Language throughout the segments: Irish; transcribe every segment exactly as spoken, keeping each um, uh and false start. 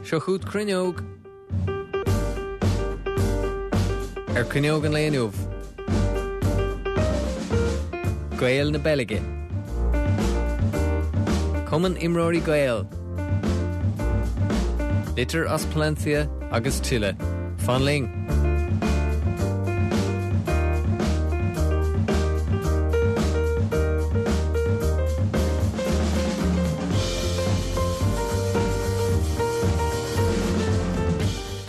Seo chugat Cruinneog. Ar Cruinneog an lae inniu. Gaeil na Beilge. Cumann Imreoirí Gael. Litir as Palencia agus tuilleadh. Fan linn.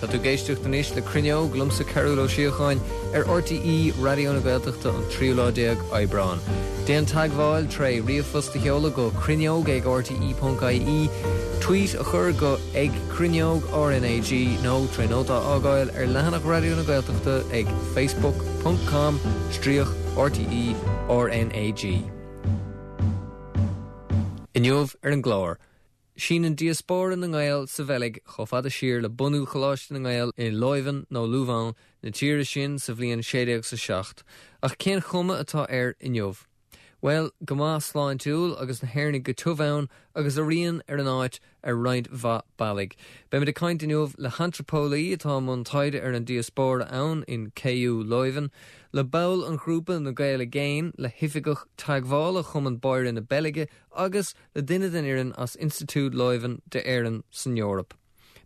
Tá tú ag éisteacht anois le Cruinneog liomsa Cearbhall Ó Síocháin ar RTÉ Raidió na Gaeltachta an tríú lá déag Aibreán. Déan teagmháil tré ríomhphost a sheoladh go cruinneog ag rte.ie, tweet a chur go ag cruinneog RNAG nó tré nóta a fhágáil ar leathanach Raidió na Gaeltachta ag facebook.com stríoc RTE RNAG. Inniu ar an gclár. Síneann diaspóra na nGael sa Bheilg chomh fada siar le bunú Choláiste na nGael i Leuven nó Louvain na tíre sin sa bhliain sé déag sa seacht. Ach cén chuma atá air inniu? Bhuel, go maith sláintiúil agus na hÉireannaigh go tiubh ann agus a rian ar an áit ar roinnt mhaith bealaigh. Beimid ag caint inniu le hantraipeolaí atá i mbun taighde ar an diaspóra ann in KU Leuven, le ball an ghrúpa na Gaeil i gCéin, le hoifigeach teagmhála Chumann Báire na Beilge agus le duine den fhoireann as Institiúid Leuven d'Éirinn san Eoraip.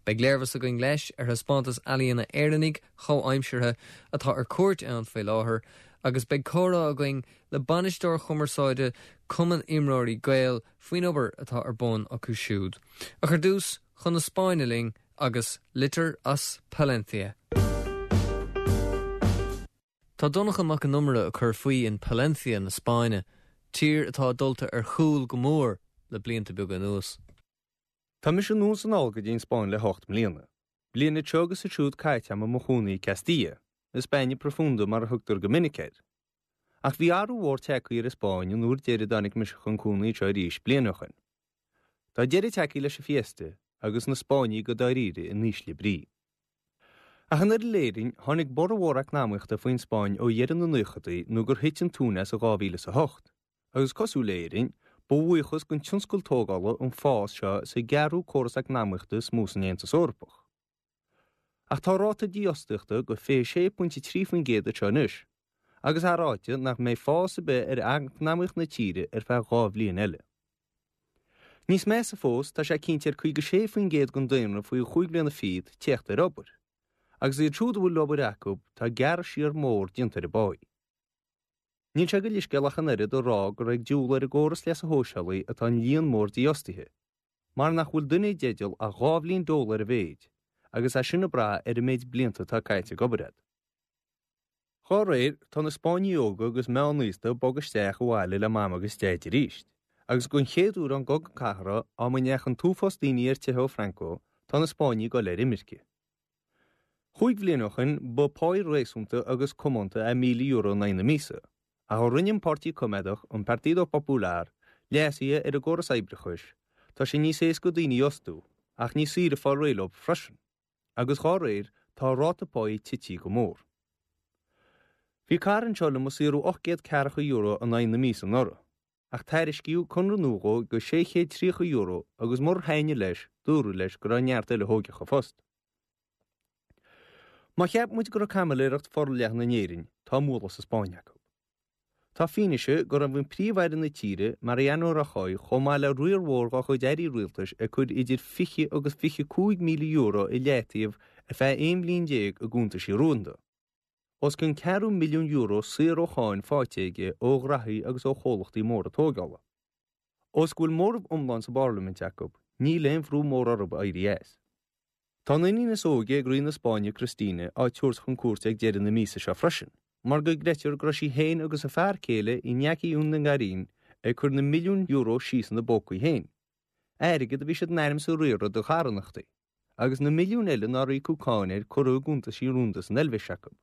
Beidh léirmheas againn leis ar thaispeántas ealaíona Éireannaigh chomhaimseartha atá ar cuairt ann faoi láthair, agus beidh comhrá againn le bainisteoir cumarsáide Cumann Imreoirí Gael faoin obair atá ar bun acu siúd. Ach ar dtús, chun na Spáinne linn agus litir as Palencia. Tá Donncha Mac an Iomaire ag cur faoi in Palencia na Spáinne, tír atá dulta ar chúl go mór le blianta beaga anuas. Tá mise anonn is anall go dtí an Spáinn le hocht mbliana. Bliain anseo agus ansiúd caite agam i mo chónaí i Castilla, España Profunda mar a thugtar go minic air. Ach bhí athrú mhór tagtha ar an Spáinn an uair deiridh a dtáinig mise chun cónaí anseo arís bliain ó shin. Tá deireadh tagtha leis an fiesta agus na Spáinnigh go dáiríre in ísle brí. Ach an oiread le hÉirinn, tháinig borradh mhór eacnamaíochta faoin Spáinn ó dheireadh na naochadaí nó gur thit an t-uaigneas i dhá mhíle is a hocht, agus cosúil le hÉirinn, ba bhuíochas don tionscal tógála an fás seo sa gceathrú córas eacnamaíochta is mó san Aontas Eorpach. Ach tá ráta dífhostaíochta go fiche sé pointe trí faoin gcéad anseo anois, agus é ráite nach mbeidh fás ar bith ar eacnamaíocht na tíre ar feadh dhá bhliain eile. Níos measa fós, tá sé cinnte ar caoga sé faoin gcéad den daonra faoi chúig bliana fichead teacht ar obair. Agus iad siúd a bhfuil obair acu, tá gearradh siar mór déanta ar a bpá. Níl sé go leithscéalach an oiread a rá gur ag diúl ar an gcóras leasa shóisialaigh atá an líon mór dífhostaithe, mar nach bhfuil duine i dteideal ach dhá bhliain dole ar a mhéid, agus é sin ag brath ar an méid blianta atá caite ag obair agat. Dá réir, tá na Spáinnigh óga agus meánaosta ag bogadh isteach abhaile le Mam agus Deaid arís, agus don chéad uair ón gCogadh Cathartha, am a ndeachaigh an t-uafás daoine ar teitheadh ó Franco, tá na Spáinnigh ag dul ar imirce. Chúig bhliain ó shin, ba pháí réasúnta agus comónta é míle euro in aghaidh na míosa, ach ó rinne an Páirtí Coimeádach, an Partido Popular, leasuithe ar an gcóras oibreachais, tá sé níos éasca daoine a fhostú, ach níos saoire fáil réidh leo freisin, agus dhá réir, tá ráta páí tite go mór. Bhí cara anseo liom ag saothrú ocht gcéad ceathracha euro in aghaidh na míosa anuraidh, ach tairiscíodh conradh nua dhó go sé chéad tríocha euro agus murar thaitnigh leis, dúradh leis go raibh neart eile a thógfadh a phost. Má cheap muid go raibh caimiléireacht forleathan in Éirinn, tá a mbualadh sa Spáinn acu. Tá fianaise go raibh an príomh-aire na tíre, Mariano Rajoy, chomh maith le riar mhór dá chuid airí rialtais ag cur idir fiche agus fiche cúig míle euro i leataobh ar feadh aon bhliain déag i gcuntaisí rúnda. Os cionn ceathrú milliún euro saor ó cháin faighte aige ó ghraithí agus ó chomhlachtaí móra tógála. Ós go bhfuil móramh iomlán sa bparlaimint acu, níl aon bhrú mór orthu éirí as. Tá an iníon is óige ag Rí na Spáinne, Cristina, á tabhairt chun cúirte ag deireadh na míosa seo freisin, mar go gcreidtear go raibh sí féin agus a fear céile Iñaki Urdangarín ag cur na milliúin euro síos ina bpócaí féin, airgead a bhí siad in ainm is a riaradh do charthanachtaí, agus na milliúin eile nár íocadh cáin air curtha i gcuntaisí rúnda san Eilvéis acu.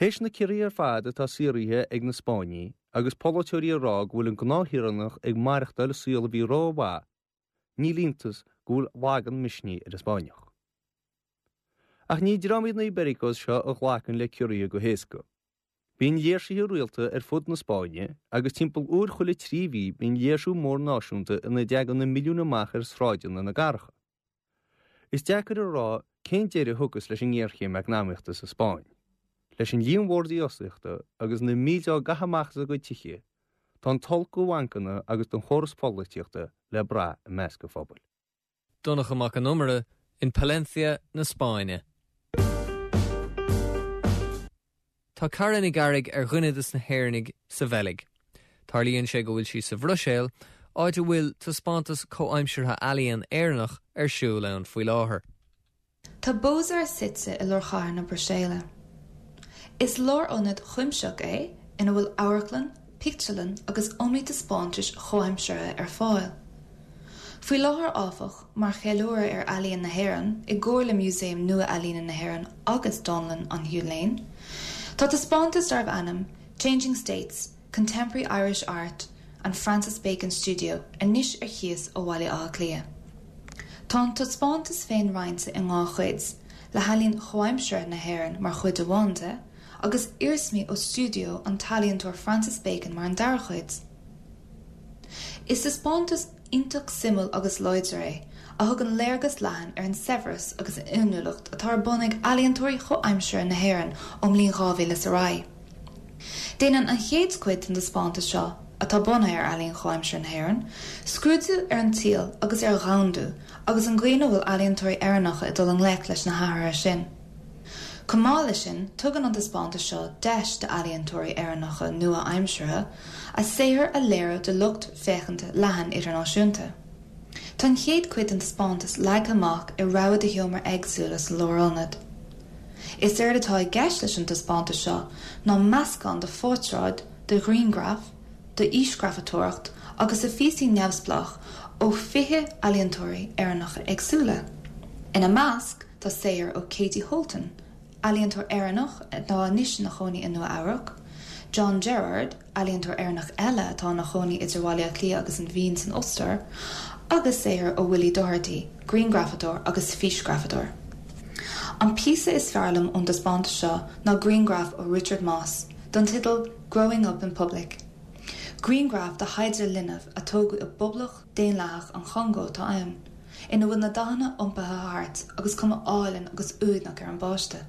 Théis na ciorruithe ar fad atá saothraithe ag na Spáinnigh agus polaiteoirí ag rá go bhfuil an gnáthshaoránach ag maireachtáil saol a bhí rómhaith, níl iontas go bhfuil lag an misnigh ar an Spáinneach. Ach ní dream iad na Ibéricos seo a ghlacann le ciorruithe go héasca. Bíonn léirsithe rialta ar fud na Spáinne agus timpeall uair chuile trí mhí bíonn léirsiú mór náisiúnta ina dtagann na milliúin amach ar shráideanna na gcathracha. Is deacair a rá cén deireadh a thiocfas leis an ngéarchéim eacnamaíochta sa Spáinn. Leis an líon mór dífhostaíochta agus na mílte á gcaitheamh amach as a gcuid tithe, tá an t-olc do bhancanna agus don chóras polaitíochta le brath i measc an phobail. Donncha Mac an Iomaire in Palencia na Spáinne. Tá Cara Ní Ghearraigh ar dhuine de na hÉireannaigh sa Bheilg. Tarlaíonn sé go bhfuil sí sa Bhruiséil, áit a bhfuil taispeántas comhaimseartha ealaíon Éireannach ar siúl ann faoi láthair. Tá Bozar suite i lár chathair na Bruiséile. Is lárionad cuimsitheach é ina bhfuil amharclann, pictiúrlann agus iomaí taispeántais chomhaimseartha ar fáil. Faoi láthair áfach mar cheiliúradh ar ealaíon na hÉireann i gcomhar le Músaem Nua-Ealaíne na hÉireann agus Dánlann an Hugh Lane, Tá taispeántas darb ainm Changing States, Contemporary Irish Art and Francis Bacon Studio anois ar cíos ó Bhaile Átha Cliath. Tá an taispeántas féin roinnte i dhá chuid, le healaín chomhaimseartha na hÉireann mar chuid amháin de, agus iarsmaí ó stiúideo an t-ealaíontóir Francis Bacon mar an dara chuid. Is taispeántas iontach suimiúil agus láidir é, a thugann léargas leathan ar an saibhreas agus an fhuinniúlacht atá ar bun ag ealaíontóirí chomhaimseartha na hÉireann ón mbliain dhá mhíle ar aghaidh. Déanann an chéad chuid den taispeántas seo, atá bunaithe ar ealaín chomhaimseartha na hÉireann, scrúdú ar an tsaol agus ar dhomhandú agus an gcaoi ina bhfuil ealaíontóirí Éireannacha ag dul i ngleic leis na hathruithe sin. Chomh maith leis sin, tugann an taispeántas seo deis d'ealaíontóirí Éireannacha nua-aimseartha a saothar a léiriú do lucht féachana leathan idirnáisiúnta. Tá an chéad chuid den taispeántas leagtha amach i rogha de sheomraí éagsúla sa lárionad. Is éard atá i gceist leis an taispeántas seo ná meascán de phortráid, de ghrianghraif, de fhísghrafadóireacht agus de phíosaí neamhspleách ó fiche ealaíontóirí Éireannacha éagsúla. Ina measc tá saothar ó Katie Holten, ealaíontóir Éireannach atá anois ina chónaí i Nua Eabhrac, John Gerard, ealaíontóir Éireannach eile atá ina chónaí idir Bhaile Átha Cliath agus an Vín san Ostair, agus saothar ó Willie Doherty, grianghrafadóir agus físghrafadóir. An píosa is fearr liom ón taispeántas seo ná grianghraf ó Richard Moss, den teideal Growing Up in Public. Grianghraf de thaighde linbh a tógadh i bPoblacht Daonlathach an Chongó atá ann, ina bhfuil na dathanna iompaithe thart agus cuma álainn agus uaigneach ar an bpáiste.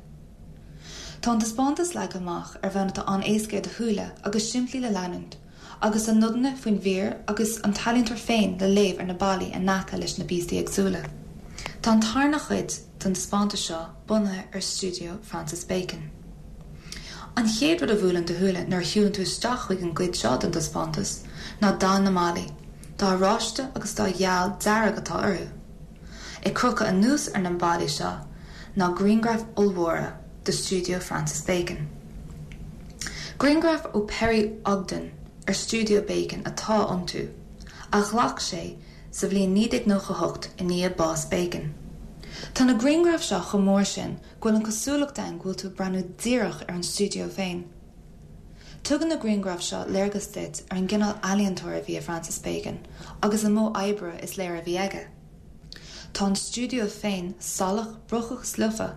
Tá an taispeántas leagtha amach ar bhonn atá an-éasca do shúile agus simplí le leanúint, agus tá nodanna faoin bhfíor agus an t-ealaíontóir féin le léamh ar na ballaí in aice leis na píosaí éagsúla. Tá an tarna chuid den taispeántas seo bunaithe ar stiúideo Francis Bacon. An chéad rud a bhuaileann do shúile nuair a shiúlann tú isteach chuig an gcuid seo den taispeántas ná dath na mballaí, dath oráiste agus dath geal dearg atá orthu. Ag crochadh anuas ar na ballaí seo ná grianghraif ollmhóra de stiúideo Francis Bacon. Grianghraif ó Perry Ogden ar stiúideo Bacon atá iontu, a ghlac sé sa bhliain naoi déag nócha hocht i ndiaidh bás Bacon. Tá na grianghraif seo chomh mór sin go bhfuil an cosúlacht ann go bhfuil tú ag breathnú díreach ar an stiúideo féin. Tugann na grianghraif seo léargas duit ar an gcineál ealaíontóir a bhí i Francis Bacon agus an modh oibre is léir a bhí aige. Tá an stiúideo féin salach brocach slofa,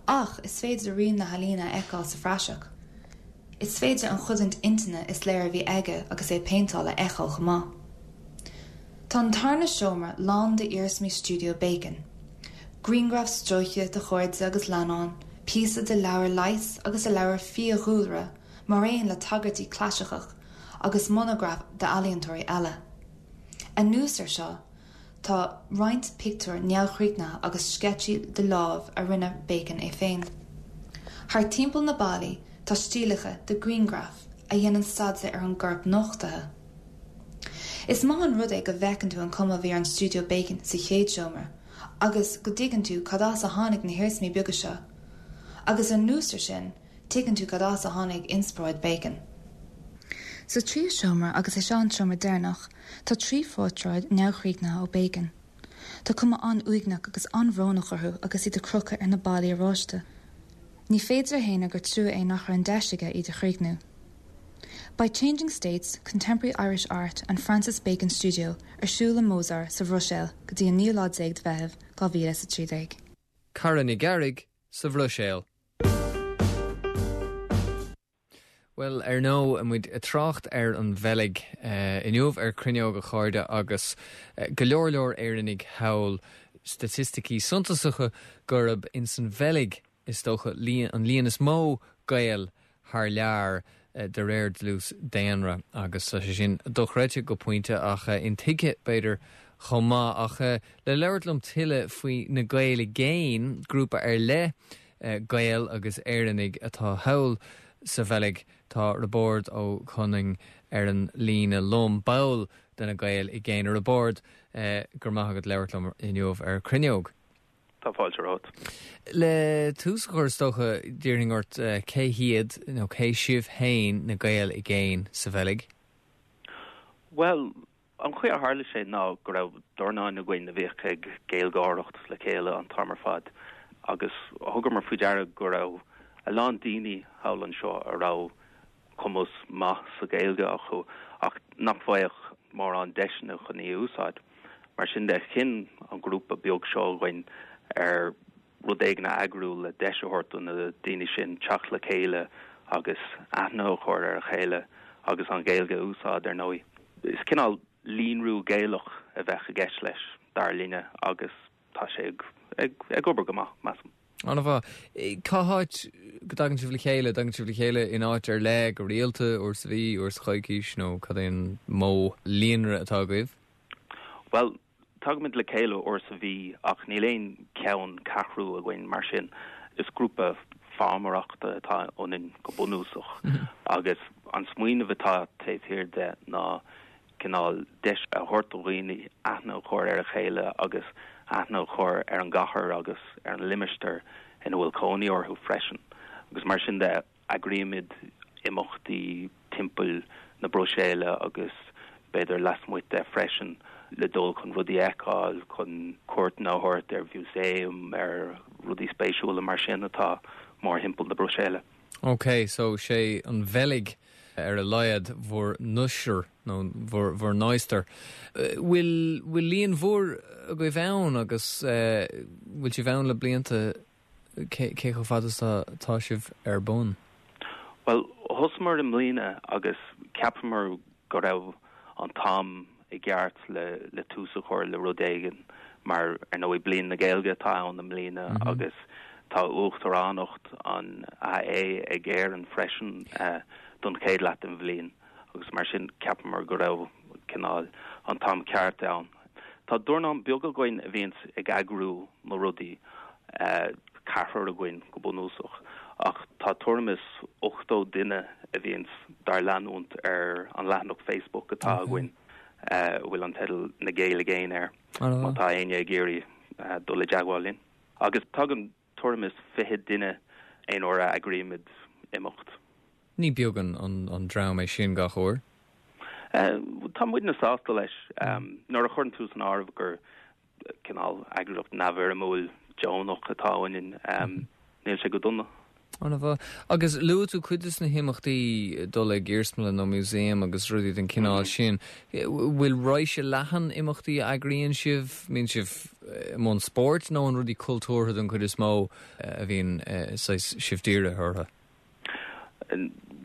ach is féidir rian na healaíne a fheiceáil sa phraiseach. Is féidir an chodaint intinne is léir a bhí aige agus é ag péinteáil a fheiceáil chomh maith. Tá an tarna seomra lán d'iarsmaí stiúideo Bacon. Grianghraif stróicthe de chairde agus leannáin, píosa de leabhar leighis agus de leabhar fiadhúlra, mar aon le tagairtí clasaiceach agus monagraif d'ealaíontóirí eile. Anuas air seo, tá roinnt pictiúr neamhchríochnaithe agus sceitsí de láimh a rinne Bacon é féin. Thar timpeall na ballaí tá stiallacha de ghrianghraif a dhéanann staidéar ar an gcorp nochtaithe. Is maith an rud é go bhfeiceann tú an cuma a bhí ar an stiúideo Bacon sa chéad seomra, agus go dtuigeann tú cad as a tháinig na hiarsmaí beaga seo. Agus anuas air sin, tuigeann tú cad as a tháinig inspioráid Bacon. Sa tríú seomra agus é seo an seomra deireanach, tá trí phortráid neamhchríochnaithe ó Bacon. Tá cuma an-uaigneach agus an-bhrónach orthu agus iad ag crochadh ar na ballaí oráiste. Ní féidir a shéanadh gur trua é nach raibh an deis aige iad a chríochnú. Beidh Changing States, Contemporary Irish Art and Francis Bacon Studio ar siúl i Bozar sa Bhruiséil go dtí an naoú lá déag de Mheitheamh dhá mhíle is a trí déag. Cara Ní Ghearraigh sa Bhruiséil. Well ar ndóigh muid ag trácht ar an Bheilg uh, inniu ar Cruinneog a chairde agus uh, go leor leor Éireannaigh thall staitisticí suntasacha gurb ins an Bheilg is dócha an líon is mó Gael thar lear de réir dlús daonra agus tá sé sin dochreidte go pointe ach intuigthe b'fhéidir chomh maith ach le labhairt liom tuilleadh faoi na Gaeil i gCéin, grúpa ar leith Gael agus Éireannaigh atá thall sa Bheilg tá Roibeárd Ó Conaing ar an líne liom ball de na Gaeil i gCéin Roibeárd go raibh maith agat labhairt liom inniu ar Cruinneog. Tá fáilte romhat. Le tús a chur is dócha d'iarrfainn ort cé hiad nó cé sibh féin na Gaeil i gCéin sa Bheilg? Well, an chaoi a tharla sé ná go raibh dornán againn a bhíodh ag Gaeilgeoireacht le chéile an t-am ar fad agus thugamar faoi deara go raibh a lán daoine thall anseo a raibh cumas maith sa Ghaeilge acu ach nach bhfaigheadh mórán deiseanna chun í a úsáid. Mar sin de chinn an grúpa beag seo againn ar rud éigin a eagrú le deis a thabhairt do na daoine sin teacht le chéile agus aithne a chur ar a chéile agus an Ghaeilge a úsáid ar ndóigh. Is cineál líonrú Gaelach a bheadh i gceist leis dar linne agus tá sé ag, ag, ag obair go maith measaim. An-mhaith. Cá háit go dtagann sibh le chéile, dtagann sibh le chéile in áit ar leith go rialta uair sa mhí, uair sa choicís nó cad é an modh líonra atá agaibh? Well, tagaimid le chéile uair sa mhí ach níl aon cheanncheathrú againn mar sin. Is grúpa fámaireachta atá ionainn go bunúsach agus an smaoineamh atá taobh thiar de ná cineál deis a thabhairt do dhaoine aithne a chur ar a chéile agus aithne a chur ar an gcathair agus ar an limistéar ina bhfuil cónaí orthu freisin. Agus mar sin de eagraímid imeachtaí timpeall na Bruiséile agus b'fhéidir lasmuigh de freisin le dul chun rudaí a fheiceáil, chun cuairteanna a thabhairt ar mhúsaeim, ar rudaí spéisiúla mar sin atá mórthimpeall na Bruiséile. Ok, so sé an Bheilg ar a laghad bhur n-uisir nó bhur bhur n-adhastar. Bhfuil bhfuil líon mhór agaibh ann agus bhfuil sibh ann le blianta cé cé chomh fada is atá sibh ar bun? Well, thosaíomar i mbliana agus cheapamar go raibh an t-am i gceart le le tús a chur le rud éigin mar ar ndóigh bliain na Gaeilge atá ann i mbliana mm -hmm. agus tá uachtaránacht an AE ag Éirinn freisin uh, don chéad leath den bhliain agus mar sin cheapamar go raibh cineál an t-am ceart ann. Tá dornán beag againn a bhíonns ag eagrú na rudaí uh, ceathrar againn go bunúsach ach tá tuairim is ochtó duine a bhíonns dár leanúint ar an leathanach Facebook atá okay. againn uh, bhfuil an teideal na Gaeil i gCéin air má tá éinne ag iarraidh uh, dul i dteagmháil linn. Agus tagann tuairim is fiche duine aon uair a eagraímid imeacht. Ní beag an, an, an dream é sin gach uair? Uh, tá muidne sásta leis um, nuair a chuireann tú san áireamh gur cineál eagraíocht neamhfhoirmiúil deonach atá ionainn um, níl sé go dona. An-mhaith. Agus luaigh tú cuid de na himeachtaí dul ag iarsmalann nó museum agus rudaí den cineál sin. Bhfuil raidhse leathan imeachtaí a eagraíonn sibh, mbíonn sibh i mbun spóirt nó an rudaí cultúrtha den chuid is mó a bhíonn sibh dírithe orthu?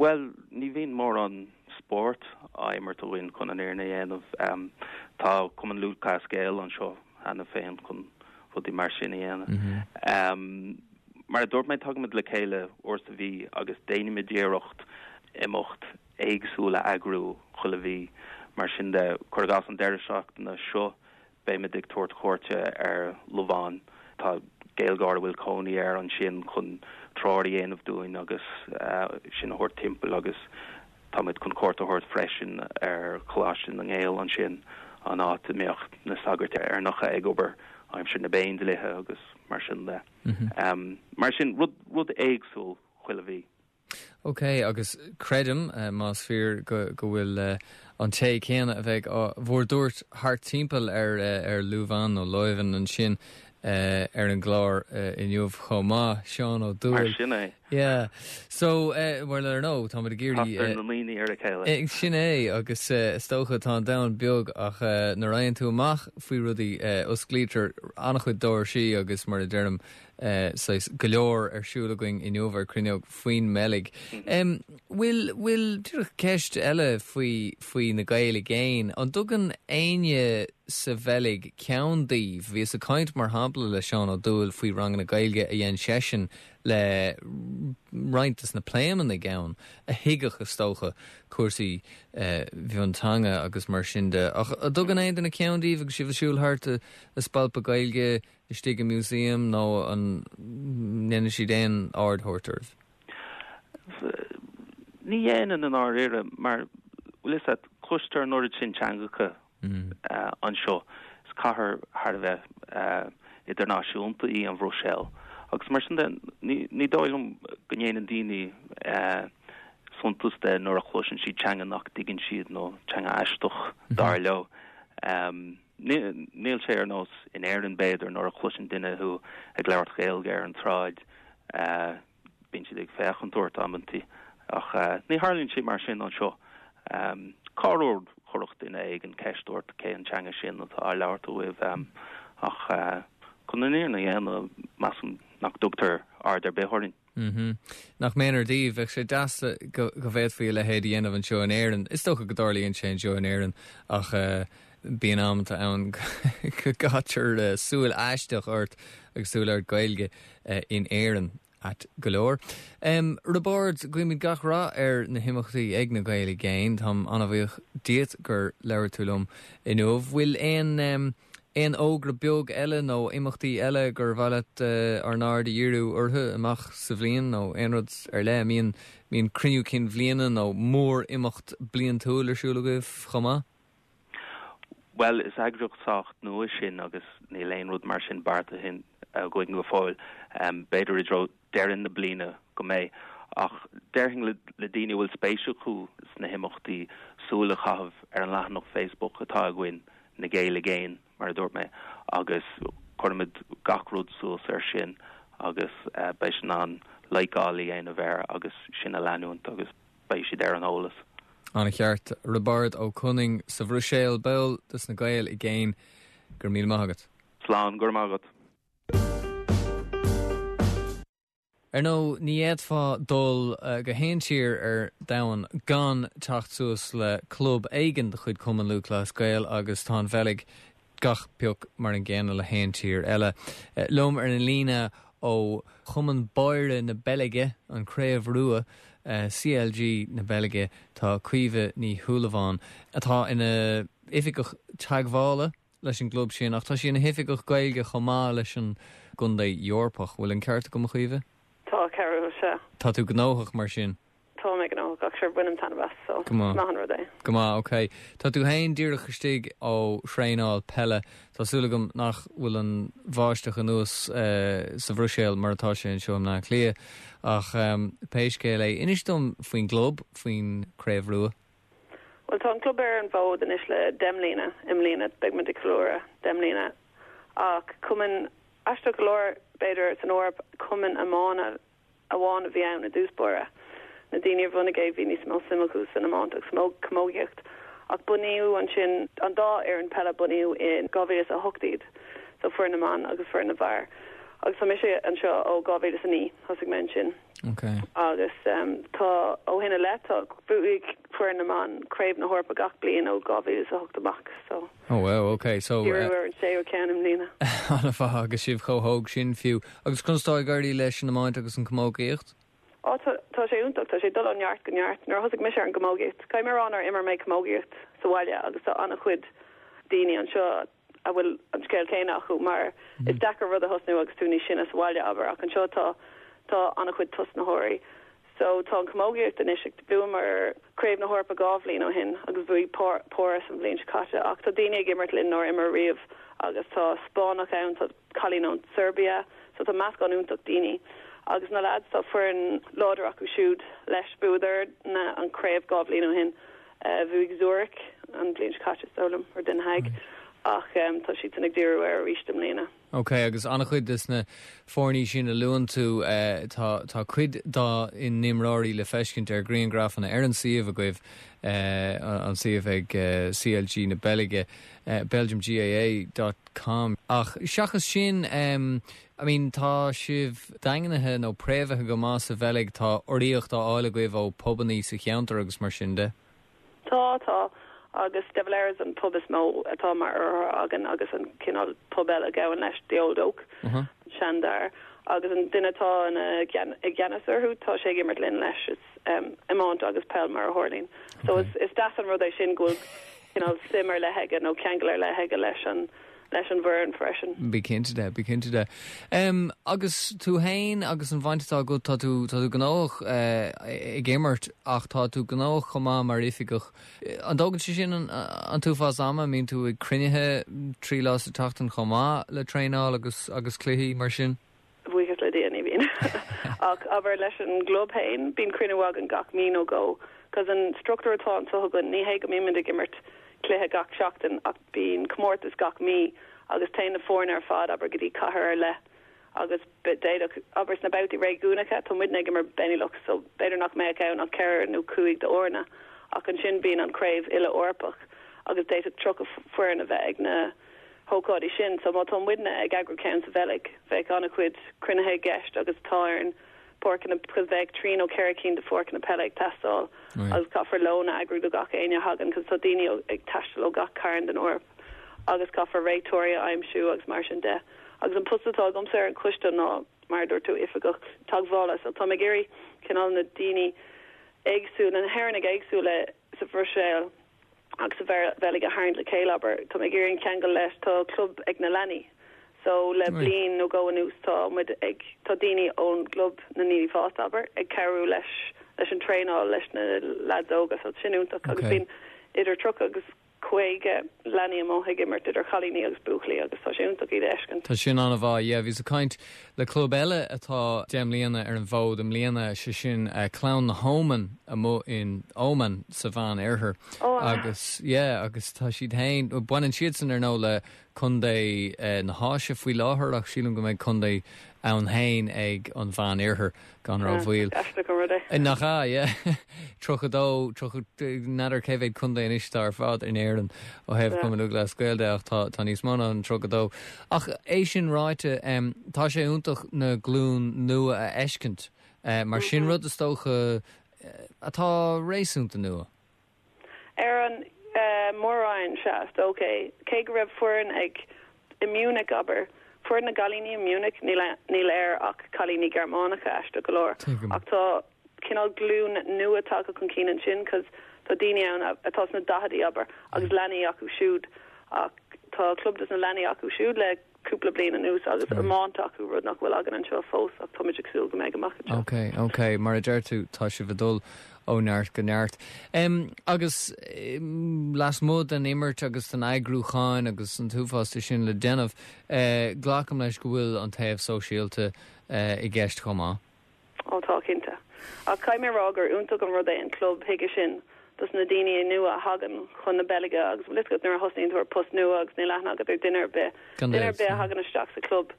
Well, ní bhíonn mórán spórt á imirt againn chun an fhírinne a dhéanamh. Um, tá Cumann Lúthchleas Gael anseo cheana féin chun rudaí mar sin a dhéanamh. Mm -hmm. um, mar a dúirt mé tagaimid le chéile uair sa mhí agus déanaimid iarracht imeacht éagsúil a eagrú chuile mhí mar sin de cuir i gcás an deireadh seachtaine seo beimid ag tabhairt cuairte ar Lobháin tá Gaeilgeoir a bhfuil cónaí air ansin chun treoir a dhéanamh dúinn agus uh, sin a thabhairt timpeall agus táimid chun cuairt a thabhairt freisin ar Choláiste na nGael ansin an áit a mbíodh na sagairt Éireannacha ag obair aimsir na bPéindlíthe agus mar sin de. Mm -hmm. um, mar sin rud, rud éagsúil chuile mhí. Ok, agus creidim uh, más fíor go, go bhfuil uh, an té céanna a bheidh á bhur dtabhairt thart timpeall ar uh, ar Lúbhán nó Leuven ansin uh, ar an gclár uh, inniu chomh maith Seán Ó Dúill. Sin é. Yeah. So uh, well ar ndóigh tá ag iarraidh na daoine ar a chéile. Sin é agus uh, is dócha tá an domhan beag ach uh, nuair a fhaigheann tú amach faoi rudaí uh, osclaítear an-chuid doirsí agus mar a deirim uh, go leor ar siúl againn inniu ar Cruinneog faoin mBeilg. Um, bhfuil bhfuil ceist eile faoi faoi na Gaeil i gcéin, an dtugann éinne sa Bheilg ceann daoibh, bhíos ag caint mar shampla le Seán Ó Dúill faoi ranganna Gaeilge a dhein seisean le roinnt des na Pléimeannaigh ann a thuigfeadh is dócha cúrsaí uh, mhionteanga agus mar sin de. Ach an dtugann aon duine ceann daoibh agus sibh ag siúl thart ag spalpadh Gaeilge istigh i museum nó an ndéanann siad aon aird a thabhairt oraibh? Ní dhéanann i ndáiríre mar bhfuil a fhios agat cloistear an oiread sin teangacha mm. uh, anseo is cathair thar a bheith uh, idirnáisiúnta í an Bhruiséil. Agus mar sin de ní, ní dóigh liom go ndéanann daoine uh, suntas de nuair a chloiseann siad teanga nach dtuigeann siad nó teanga aisteach mm -hmm. dar leo. Um, Níl sé ar nós in Éirinn b'fhéidir nuair a chloiseann duine thú ag labhairt Gaeilge ar an tsráid uh, bíonn siad ag féachaint ort amantaí ach uh, ní tharlaíonn sé mar sin anseo. Um, Corruair chuirfeadh duine éigin ceist ort cén teanga sin atá á labhairt agaibh um, ach uh, chun an fhírinne a dhéanamh measaim nach dtugtar aird ar bith orainn. Mm -hmm. Nach méanar daoibh bheadh sé deas go go bhféadfaí a leithéid a dhéanamh anseo in Éirinn. Is dócha go dtarlaíonn sé anseo in Éirinn ach uh, bíonn amanta ann go gcaitear uh, súil aisteach ort agus tú ag labhairt Gaeilge uh, in Éirinn ait go leor. Um, Roibeárd guímid gach rath ar na himeachtaí ag na Gaeil i gcéin Táim an-bhuíoch díot gur labhair tú liom inniu. Bhfuil aon um, aon fhógra beag eile nó imeachtaí eile gur mhaith leat uh, ár n-aird a dhíriú orthu amach sa bhliain nó aon rud ar leith mbíonn mbíonn cruinniú cinn bhliana nó mór imeacht bliantúil ar siúl agaibh chomh maith? Well is eagraíocht sách nua sinn agus níl aon rud mar sin beartaithe againn go fóill um, b'fhéidir i dtreo deireadh na bliana go mbeidh ach déarfainn le, le daoine bhfuil spéis acu sna himeachtaí súil a chaitheamh ar an leathanach Facebook atá againn na Gaeil i gcéin mar a dúirt mé agus cuirimid gach rud suas ar sin agus uh, beidh siad in ann like-áil a dhéanamh air agus sin a leanúint agus beidh siad ar an eolas. An-cheart Roibeárd Ó Conaing sa Bhruiséil ball des na Gaeil i gcéin go raibh míle maith agat. Slán go raibh maith agat. Ar ndóigh ní fhéadfá dul uh, go haon tír ar domhan gan teacht suas le club éigin de chuid Cumann Lúthchleas Gael agus tá an Bheilg gach pioc mar an gcéanna le haon tír eile. Uh, liom ar an líne ó Chumann Báire na Beilge an Craobh Rua uh, CLG na Beilge tá Caoimhe Ní Shúilleabháin atá ina hoifigeach teagmhála leis an gclub sin ach tá sí ina hoifigeach Gaeilge chomh maith leis an gContae Eorpach bhfuil an ceart agam a Chaoimhe? Tá ceart sé. Tá tú gnóthach mar sin. Tá mé gnóthach ach sure bainim taitneamh as so Go maith. maith an rud é. Go maith, ok. Tá tú féin díreach istigh ó thraenáil peile. Tá súil agam nach bhfuil an bháisteach anuas uh, sa Bhruiséil mar atá sé anseo i mBaile Átha Cliath ach um, pé scéal é inis dom faoin gclub faoin Craobh Rua. Well tá an club ar an bhfód anois le deich mbliana i mbliana beidh muid ag ceiliúradh deich mbliana ach cumann aisteach go leor b'fhéidir san Eoraip cumann iomána amháin a bhí ann i dtús báire. Na daoine a bhunaigh é bhí níos mó suim acu san iomáint agus mó camógaíocht ach bunaíodh ansin an dá fhoireann peile bunaíodh in dhá mhíle a hocht iad so foireann na mban agus foireann na bhfear. Agus tá mise anseo ó dhá mhíle a naoi thosaigh mé ansin. Okay. Agus um, tá ó shin i leith tá bhuaigh foireann na mban Craobh na hEorpa gach bliain ó dhá mhíle a hocht amach so. Oh well, okay. So uh, ar an séú ceann i mbliana. An-mhaith agus sibh chomh hóg sin fiú. Agus conas tá ag éirí leis an iomáint agus an camógaíocht? Ó tá tá sé iontach tá sé dul ó neart go neart nuair thosaigh mise ar an gcamógaíocht. Caithfidh mé a rá nár imir mé camógaíocht sa bhaile agus tá an-chuid daoine anseo a bhfuil an scéal céanna acu mar mm. is deacair rud a thosnú agus tú níos sine sa bhaile abair ach anseo tá tá an-chuid tosnaitheoirí. So tá an camógaíocht anois ag bhuamar Craobh na hEorpa dhá bhliain ó shin agus bhuaigh Páras an bhliain seo caite ach tá daoine ag imirt linn nár imir riamh agus tá Spáinneach ann tá cailín ón Serbia, so tá meascán iontach daoine. Agus na lads tá foireann láidir acu siúd leis bhuadar na an craobh dhá bhliain ó shin uh, bhuaigh Zurich an bhliain seo caite sólam ar Den Haag. Mm. ach tá siadsan ag díriú air arís i mbliana. Ok, agus an-chuid des na foirne sin a luann tú eh, tá tá cuid dá n-imreoirí le feiscint ar ghrianghrafanna ar an suíomh agaibh eh, an suíomh ag eh, CLG na Beilge Belgium GAA dot com. Ach seachas sin um, I mean tá sibh daingnithe nó préamhaithe go maith sa Bheilg tá urraíocht á fháil agaibh ó phubanna sa cheantar agus mar sin de. Tá tá agus De Valera's an pub is mó atá mar urraitheoir againn agus an cineál pub eile a ghabhann leis The Old Oak uh -huh. Seandair agus an duine atá i gceannas orthu tá sé ag imirt linn leis is um, iomáint agus peil mar a tharlaíonn. So okay. is, is deas an rud é sin go bhfuil suim ar leith aige nó ceangal ar leith aige leis an leis an bhfoireann freisin. Bí cinnte de, bí cinnte de. Um, agus tú féin agus an bhaint atá agat tá tú tá tú gnóthach uh, ag imirt ach tá tú gnóthach chomh maith mar oifigeach. An dtógann sé sin an, an t-uafás ama mbíonn tú ag cruinnithe trí lá sa tseachtain chomh maith le traenáil agus agus cluichí mar sin? Buíochas le Dia ní bhíonn. ach abair leis an gclub féin bíonn cruinniú againn gach mí nó dhó, cos an struchtúr atá anseo againn ní hé go mbímid ag imirt cluiche gach seachtain ach bíonn comórtas gach mí agus téann na foirne ar fad abair go dtí cathair ar leith agus d'fhéadfadh abair sna babhtaí réigiúnacha tá muidne ag imirt Benelux so b'fhéidir nach mbeadh ann ach ceithre nó cúig d'fhoirne ach ansin bíonn an craobh uile Eorpach agus d'fhéadfadh tríocha foireann a bheith ag na hócáidí sin so má tá muidne ag eagrú ceann sa Bheilg bheadh an-chuid cruinnithe i gceist agus tá ar an páirceanna cos bheadh trí nó ceithre cinn de pháirceanna peile ag teastáil agus caithfear lón a eagrú do gach éinne a thagann cos tá daoine ag taisteal ó gach cearn den Eoraip agus caithfear réiteoirí a aimsiú agus mar sin de. Agus an post atá agamsa ar an choiste ná mar dúirt tú oifigeach teagmhála so tá mé ag iarraidh cineál na daoine éagsúla na hÉireannaigh éagsúla sa Bhruiséil agus sa Bheilg a tharraingt le chéile abair tá mé ag iarraidh ceangal leis tá club ag na leanaí. So le bliain nó dhó anuas tá muid ag tá daoine ón gclub na ndaoine fásta abair ag cabhrú leis leis an traenáil leis na lads óga so sin iontach agus bíonn idir tríocha agus caoga leanaí amuigh ag imirt idir chailíní agus buachaillí agus tá sé iontach iad a fheiscint. Tá sin an-mhaith, yeah, bhíos ag caint le club eile atá deich mbliana ar an bhfód i mbliana sé sin uh, Clann na hÓman amuigh in Oman sa Mheán Oirthear oh, agus yeah, agus tá siad féin baineann siadsan ar ndóigh le Contae na hÁise faoi láthair ach sílim go mbeidh contae ann féin ag an Mheán Oirthear gan rómhoill. Nach ea, yeah. Tríocha dó, tríocha, n'fheadar cé mhéad contae anois atá ar fad in Éirinn ó thaobh Cumann Lúthchleas Gael de ach tá tá níos mó ná an tríocha dó. Ach é sin ráite, tá sé iontach na glúin nua a fheiscint, mar sin rud is dócha atá réasúnta nua. Ar an Mór-Roinn, sea, is dócha é. Cé go raibh foireann ag i Munich, abair, foireann na gcailíní i Munich, níl níl air ach cailíní Gearmánacha aisteach go leor. Ach tá cineál glúin nua tagtha chun cinn ansin cos tá daoine ann atá sna daichidí, abair, agus leanaí acu siúd. Ach tá club dos na leanaí acu siúd le cúpla bliain anuas agus iomáint acu, rud nach bhfuil againn anseo fós ach táimid ag súil go mbeidh amach anseo. Ok, ok, mar a deir tú, tá sibh ag dul ó neart go neart. Um, agus um, lasmuigh den imirt agus den eagrúchán agus an t-uafás de sin le déanamh, uh, glacaim leis go bhfuil an taobh sóisialta uh, i gceist chomh maith. Ó tá cinnte. Ach caithfidh mé a rá gur iontach an rud é an club chuige sin dos na daoine nua a thagann chun na Beilge agus bhfuil a fhios agat nuair a thosnaíonn tú ar post nua agus níl aithne agat ar duine ar bith. Duine ar bith a thagann isteach sa club.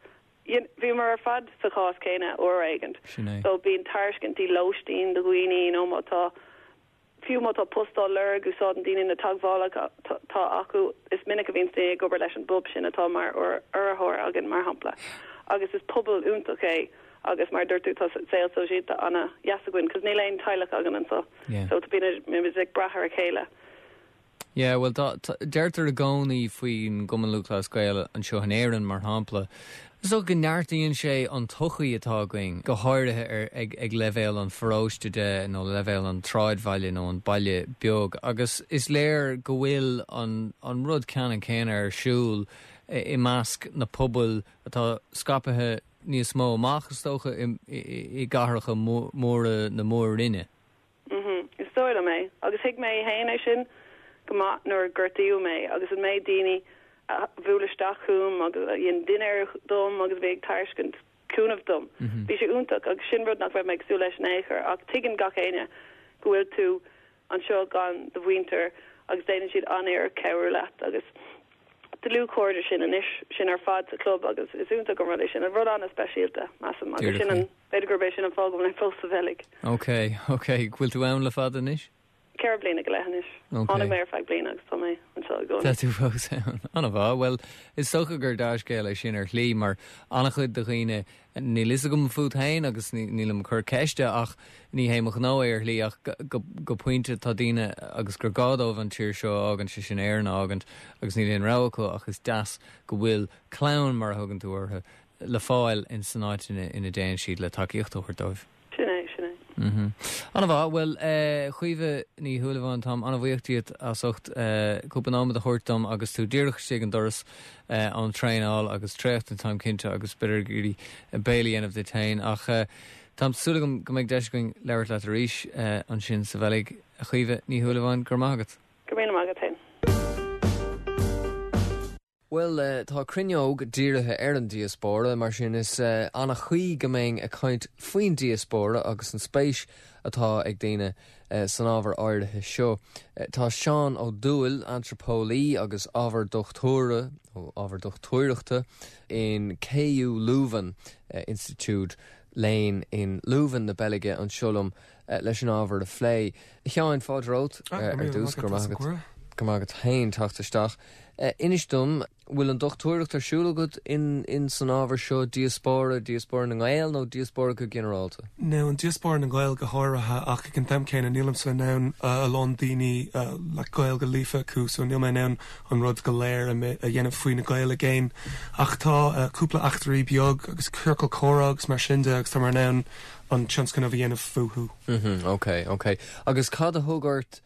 Bhíomar ar fad sa chás céanna uair éigin. So bíonn tairiscintí lóistín do dhaoine nó má tá fiú má tá post á lorg úsáideann daoine na teagmhálacha atá acu. Is minic a bhíonn daoine ag obair leis an bpub sin atá mar urraitheoir againn mar shampla. Agus is pobal iontach é agus mar a dúirt tú tá saol sóisialta ana-dheas againn cos níl aon teaghlach againn anseo. So tá bíonn ag brath ar a chéile. Yeah, well tá, tá, deirtear i gcónaí faoin gCumann Lúthchleas Gael anseo in Éirinn mar shampla, so go neartaíonn sé an tsochaí atá againn, go háirithe ar, ag, ag leibhéal an pharóiste de nó leibhéal an tsráidbhaile nó an baile beag, agus is léir go bhfuil an, an rud ceannann céanna ar siúl i measc na pobail atá scaipthe níos mó amach is dócha i, i, i gcathracha móra na mór-roinne. Mhm, is dóigh liom é. Agus thuig mé féin é sin go maith nuair a gortaíodh mé agus an méid daoine a bhuail isteach chugam agus a dhein dinnéar dom agus a bhí ag tairiscint cúnamh dom. Bhí sé iontach agus sin rud nach raibh mé ag súil leis in aon chor ach tuigeann gach éinne go bhfuil tú anseo gan do mhuintir agus déanann siad an-iarracht cabhrú leat agus dlúthchairde sin anois sin ar fad sa club agus is iontach an rud é sin an rud an-speisialta measaim agus sin an b'fhéidir gurb é sin an fáth go bhfuil fós sa Bheilg. Ok, ok, bhfuil tú ann le fada anois? Ceithre bliana go leith anois. Tháinig mé ar feadh bliana agus tá mé anseo i gcónaí. Tá tú fós ann. An-mhaith, bhuel is dócha gur dea-scéal é sin ar shlí mar an-chuid de dhaoine níl fhios agam fút féin agus nílim ag cur ceiste ach ní hé mo ghnó é ar shlí ach go pointe tá daoine agus gur gá dóibh an tír seo a fhágaint sé sin Éirinn a fhágaint agus níl aon rogha acu ach is deas go bhfuil clann mar a thugann tú orthu le fáil in san áit ina ina dtéann siad le tacaíocht a thabhairt dóibh. Sin é, sin é. Mm -hmm. An-mhaith, bhuel eh, Caoimhe Ní Shúilleabháin táim an-bhuíoch díot as ucht eh, cúpla nóiméad a thabhairt dom agus tú díreach istigh an doras eh, ón traenáil agus traochta táim cinnte agus b'fhéidir ag iarraidh béile a dhéanamh duit féin ach eh, Tá súil agam go mbeidh deis againn labhairt leat arís eh, ansin sa Bheilg a Chaoimhe Ní Shúilleabháin go raibh maith agat. Go raibh maith agat féin. Well uh, tá cruinneog dírithe ar an diaspóra mar sin is uh, an-chuí go mbeinn ag caint faoin diaspóra agus an spéis atá ag daoine uh, san ábhar áirithe seo. Uh, tá Seán Ó Dúill antraipeolaí agus ábhar dochtúra ó ábhar dochtúireachta in KU Leuven uh, Institiúid Léinn in Leuven na Beilge anseo liom uh, leis an ábhar a phlé. Sheáin fáilte romhat uh, ar dtús go raibh go maith agat féin teacht isteach. Uh, Inis dom bhfuil an dochtúireacht ar siúl agat in, in san ábhar seo diaspóra, diaspóra na nGael nó diaspóra go ginearálta? No an diaspóra na nGael go háirithe ach ag an am céanna nílimse in ann uh, a lán daoine uh, le Gaeilge líofa acu so níl mé in ann an rud go léir a a dhéanamh faoi na Gaeil i gcéin ach tá uh, cúpla eachtraí beag agus ciorcal comhrá agus mar sin de agus tá mé in ann an tionscnamh a dhéanamh fúthu. Mm -hmm, ok, ok. Agus cad a thug ort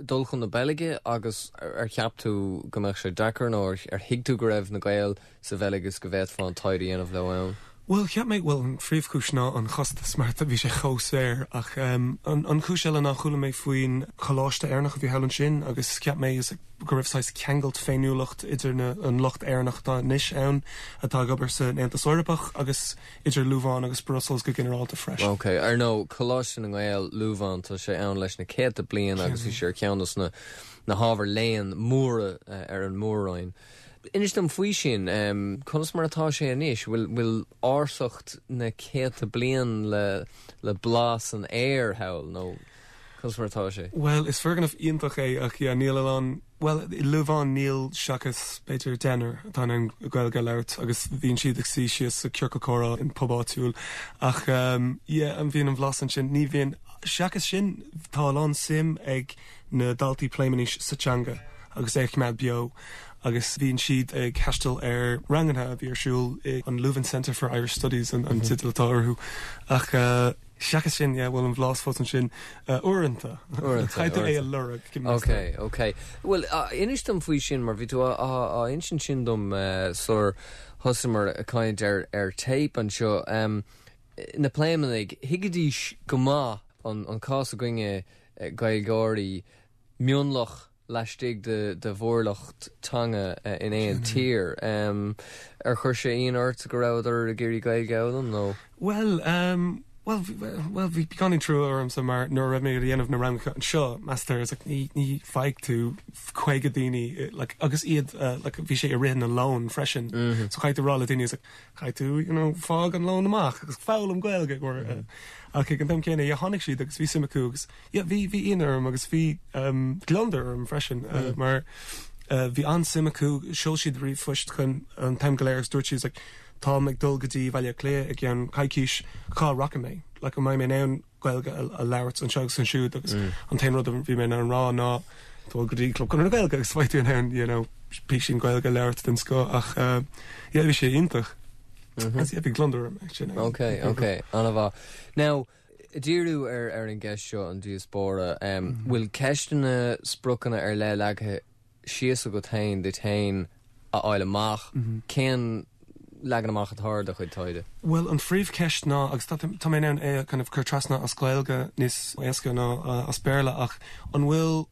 dul chun na Beilge agus ar cheap tú go mbeadh sé deacair nó ar thuig tú go raibh na Gaeil sa Bheilg agus go bhféadfá an taighde a dhéanamh leo ann? Well cheap mé well an phríomhchúis ná an chostas mar bhí sé chomh saor ach um, an, an chúis eile ná chuala mé faoin choláiste Éireannach a bhí thall ansin agus cheap mé is go raibh saghas ceangailt féiniúlacht idir na, an lucht Éireannach atá anois ann atá ag obair san Aontas Eorpach agus idir Lúbháin agus Brussels go ginearálta freisin. Ok, ar nó Coláiste na nGael Lúbháin tá sé ann leis na céadta bliain agus bhí sé ar ceann na na hábhair léinn móra uh, ar an mór-roinn. Inis dom faoi sin um, conas mar atá sé anois bhfuil bhfuil ársacht na céadta bliain le le blas an aer thall nó conas mar atá sé. Well is foirgneamh iontach é ach yeah, níl an well i Lúbháin níl seachas b'fhéidir deichniúr atá an Gaeilge labhairt agus bhíonn siad ag suí síos sa ciorcal comhrá in pub áitiúil ach um, yeah, an bhíonn an bhlas ansin ní bhíonn seachas sin tá lán suim ag na daltaí Pléimeannaise sa teanga agus é choimeád beo agus bhíonn siad ag taisteal ar ranganna a bhí ar siúl i an Leuven Center for Irish Studies an, an teideal atá orthu ach uh, seachas sin yeah, bhfuil an bhlas fós ansin uh, uaireanta Caithfidh tú é a lorg Ok, ok. Well uh, inis dom faoi sin mar bhí tú á insint sin dom uh, sular thosaíomar ag caint ar ar tape anseo um, na Pléimeannaigh thuigidís go maith an, an cás againne uh, Gaeilgeoirí mionlach laistigh de, de mhórlucht teanga uh, in aon tír. Um, ar chuir sé ionadh ort go rabhadar ag iarraidh Gaeilge a fhoghlaim nó? Well, um, well, well bhí beagáinín trua ormsa mar nuair a raibh mé ag déanamh na ranganna anseo meastar is like, ní ní fhaigh tú caoga daoine like, agus iad uh, like, bhí sé i rith na lón freisin mm -hmm. so caithfidh tú rá le daoine like, caithfidh tú you know, fág an lón amach agus foghlaim Gaeilge or, mm -hmm. uh, ach ag an am céanna yeah, tháinig siad agus bhí suim acu agus yeah, bhí bhí ionadh orm agus bhí um, gliondar orm freisin uh, mm. mar uh, bhí an-suim acu sheol siad ríomhphost chun an t-am go léir agus dúirt siad like, táim ag dul go dtí Baile Átha Cliath i gceann coicís cá rachaidh mé like, an mbeidh mé in ann Gaeilge a, a labhairt anseo agus ansiúd agus mm. an t-aon rud a bhí mé an rá ná dul go dtí Club Chonradh na Gaeilge agus beidh tú in ann you know, píosín Gaeilge a labhairt den scoth ach uh, yeah, bhí sé iontach. Mm -hmm. bhí gliondar orm sin. Ok, ok, an-mhaith. Now, díriú ar ar an gceist seo an diaspóra, um, mm -hmm. bhfuil ceisteanna spriocanna ar leith leagtha síos agat féin duit féin a fháil amach mm -hmm. cén leagan amach atá ar do chuid taighde? Well an phríomhcheist ná agus tá mé ann é kind of cur trasna as Gaeilge níos éasca ná uh, as Béarla ach an bhfuil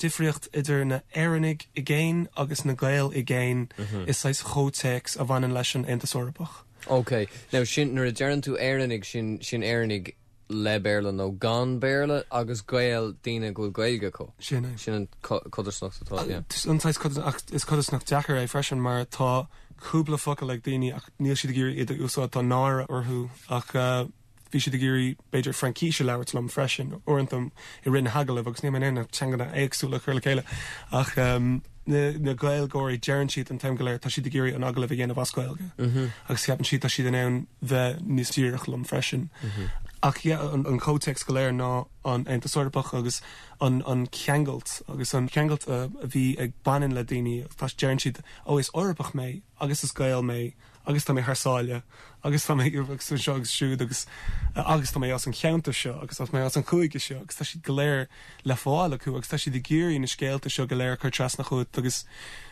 difríocht idir na Éireannaigh i gcéin agus na Gaeil i gcéin mm -hmm. is saghas chomhthéacs a bhaineann leis an Aontas Eorpach. Ok, Now sin nuair a deireann tú Éireannaigh sin sin Éireannaigh le Béarla nó gan Béarla agus Gaeil daoine go bhfuil Gaeilge acu. Sin é. Sin an codarsnacht atá yeah. An saghas is codarsnacht deacair é freisin mar tá cúpla focal ag daoine ach níl siad ag iarraidh iad a úsáid tá náire orthu ach uh, bhí siad ag iarraidh b'fhéidir Fraincis a labhairt liom freisin uaireanta i rith na hagallaimh agus níl mé in ann teangacha éagsúla a chur le chéile ach um, na, na Gaeilgeoirí deireann siad an t-am go léir tá siad ag iarraidh an agallamh a dhéanamh as Gaeilge Mm -hmm. agus ceapann siad tá siad in ann bheith níos díreach liom freisin. Mm -hmm. Ach yeah, an, an comhthéacs go léir ná an Aontas Eorpach agus an, an ceangailt agus an ceangailt uh, a bhí ag baineann le daoine tá deireann siad ó is Eorpach mé agus is Gael mé agus tá mé thar sáile agus tá mé agus seo agus siúd agus uh, agus tá mé as an cheantar seo agus tá mé as an chúige seo agus tá siad go léir le fáil acu agus tá siad ag iarraidh na scéalta seo go léir chur trasna chugat agus